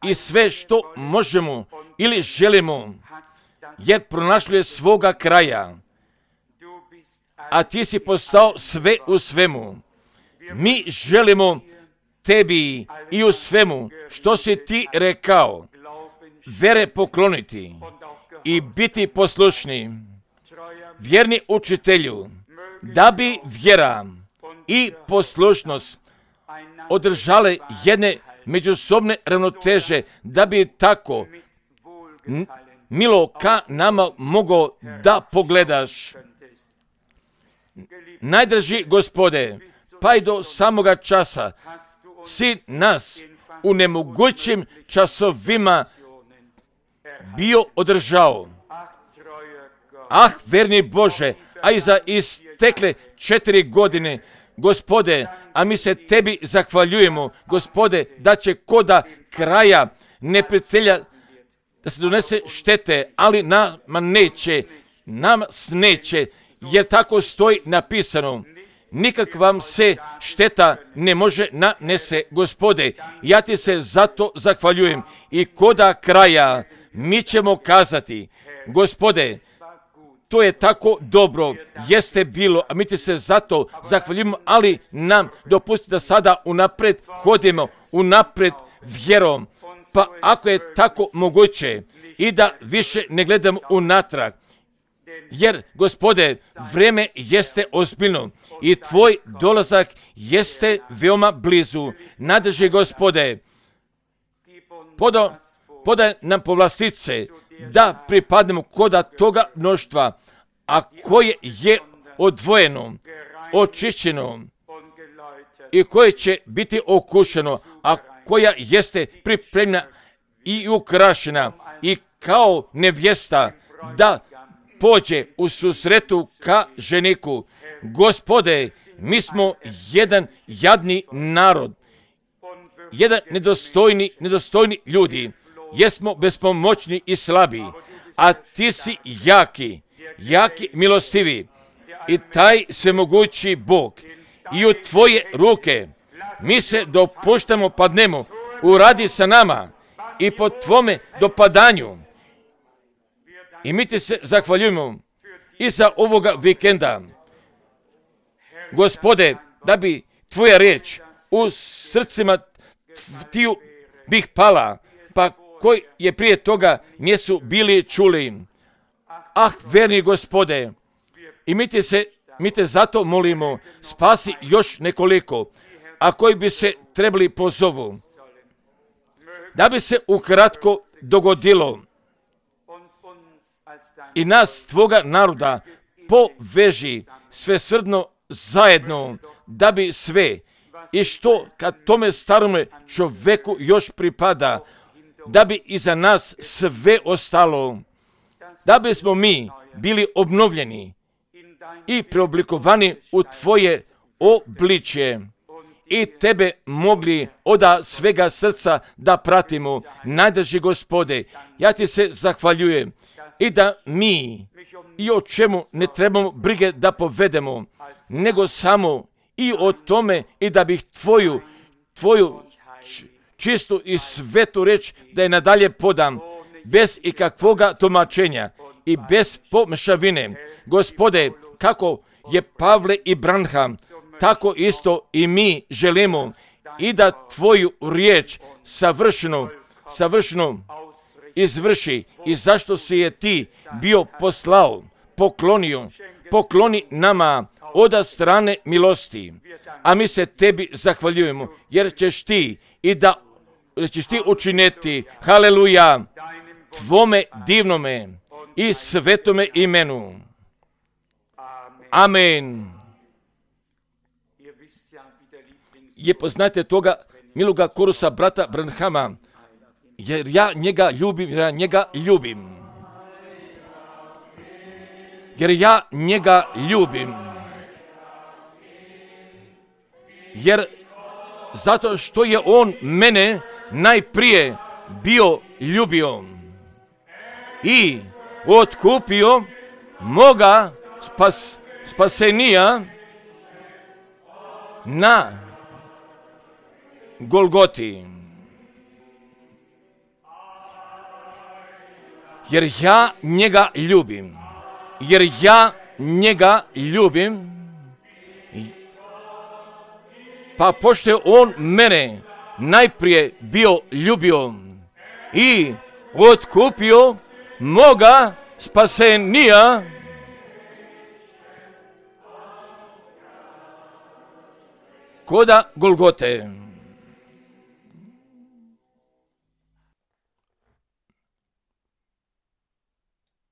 i sve što možemo ili želimo, jer pronašlo je svoga kraja, a ti si postao sve u svemu. Mi želimo tebi i u svemu što si ti rekao, vere pokloniti i biti poslušni. Vjerni učitelju, da bi vjera i poslušnost održale jedne međusobne ravnoteže, da bi tako milo ka nama mogao da pogledaš. Najdraži Gospode, pa i do samoga časa si nas u nemogućim časovima bio održao. Ah, verni Bože, a i za istekle četiri godine, Gospode, a mi se tebi zahvaljujemo, Gospode, da će koda kraja neprijatelja da se donese štete, ali nama neće, nama neće, jer tako stoji napisano. Nikak vam se šteta ne može nanese, Gospode. Ja ti se zato zahvaljujem i koda kraja mi ćemo kazati, Gospode, to je tako dobro, jeste bilo, a mi ti se zato zahvaljujemo, ali nam dopusti da sada unapred hodimo, unapred vjerom, pa ako je tako moguće i da više ne gledamo unatrag, jer, Gospode, vrijeme jeste ozbiljno i tvoj dolazak jeste veoma blizu. Nadrži, Gospode, poda, podaj nam povlastice da pripadnemo koda toga mnoštva, a koje je odvojeno, očišćeno i koje će biti okušeno, a koja jeste pripremljena i ukrašena i kao nevjesta da pođe u susretu ka ženiku. Gospode, mi smo jedan jadni narod jedan nedostojni, nedostojni ljudi. Jesmo bespomoćni i slabi, a ti si jaki, jaki, milostivi i taj svemogući Bog. I u tvoje ruke mi se dopuštamo, padnemo, uradi sa nama i po tvome dopadanju. I mi ti se zahvaljujemo i za ovoga vikenda. Gospode, da bi tvoja riječ u srcima tiju bih pala, pa koji je prije toga nisu bili čuli. Ah, verni Gospode, i mi te se, mi te zato molimo, spasi još nekoliko, a koji bi se trebali pozovu. Da bi se ukratko dogodilo i nas, tvoga naroda, poveži svesrdno zajedno, da bi sve i što kad tome starome čovjeku još pripada, da bi iza nas sve ostalo, da bismo mi bili obnovljeni i preoblikovani u tvoje obličje i tebe mogli od svega srca da pratimo. Najdrži Gospode, ja ti se zahvaljujem i da mi i o čemu ne trebamo brige da povedemo, nego samo i o tome i da bih tvoju, tvoju čistu i svetu reč da je nadalje podam, bez ikakvoga tumačenja i bez pomešavine. Gospode, kako je Pavle i Branham, tako isto i mi želimo i da tvoju riječ savršeno, savršeno izvrši i zašto si je ti bio poslao, poklonio, pokloni nama od strane milosti. A mi se tebi zahvaljujemo, jer ćeš ti i da ćeš ti učiniti, haleluja, tvome divnome i svetome imenu. Amen. Je poznate toga miloga korusa brata Branhama, jer ja njega ljubim, jer ja njega ljubim. Jer ja njega ljubim. Jer zato što je on mene najprije bio ljubio i otkupio moga spas, spasenija na Golgoti. Jer ja njega ljubim. Jer ja njega ljubim. Pa pošto je on mene najprije bio ljubio i otkupio moga spasenija koda Golgote.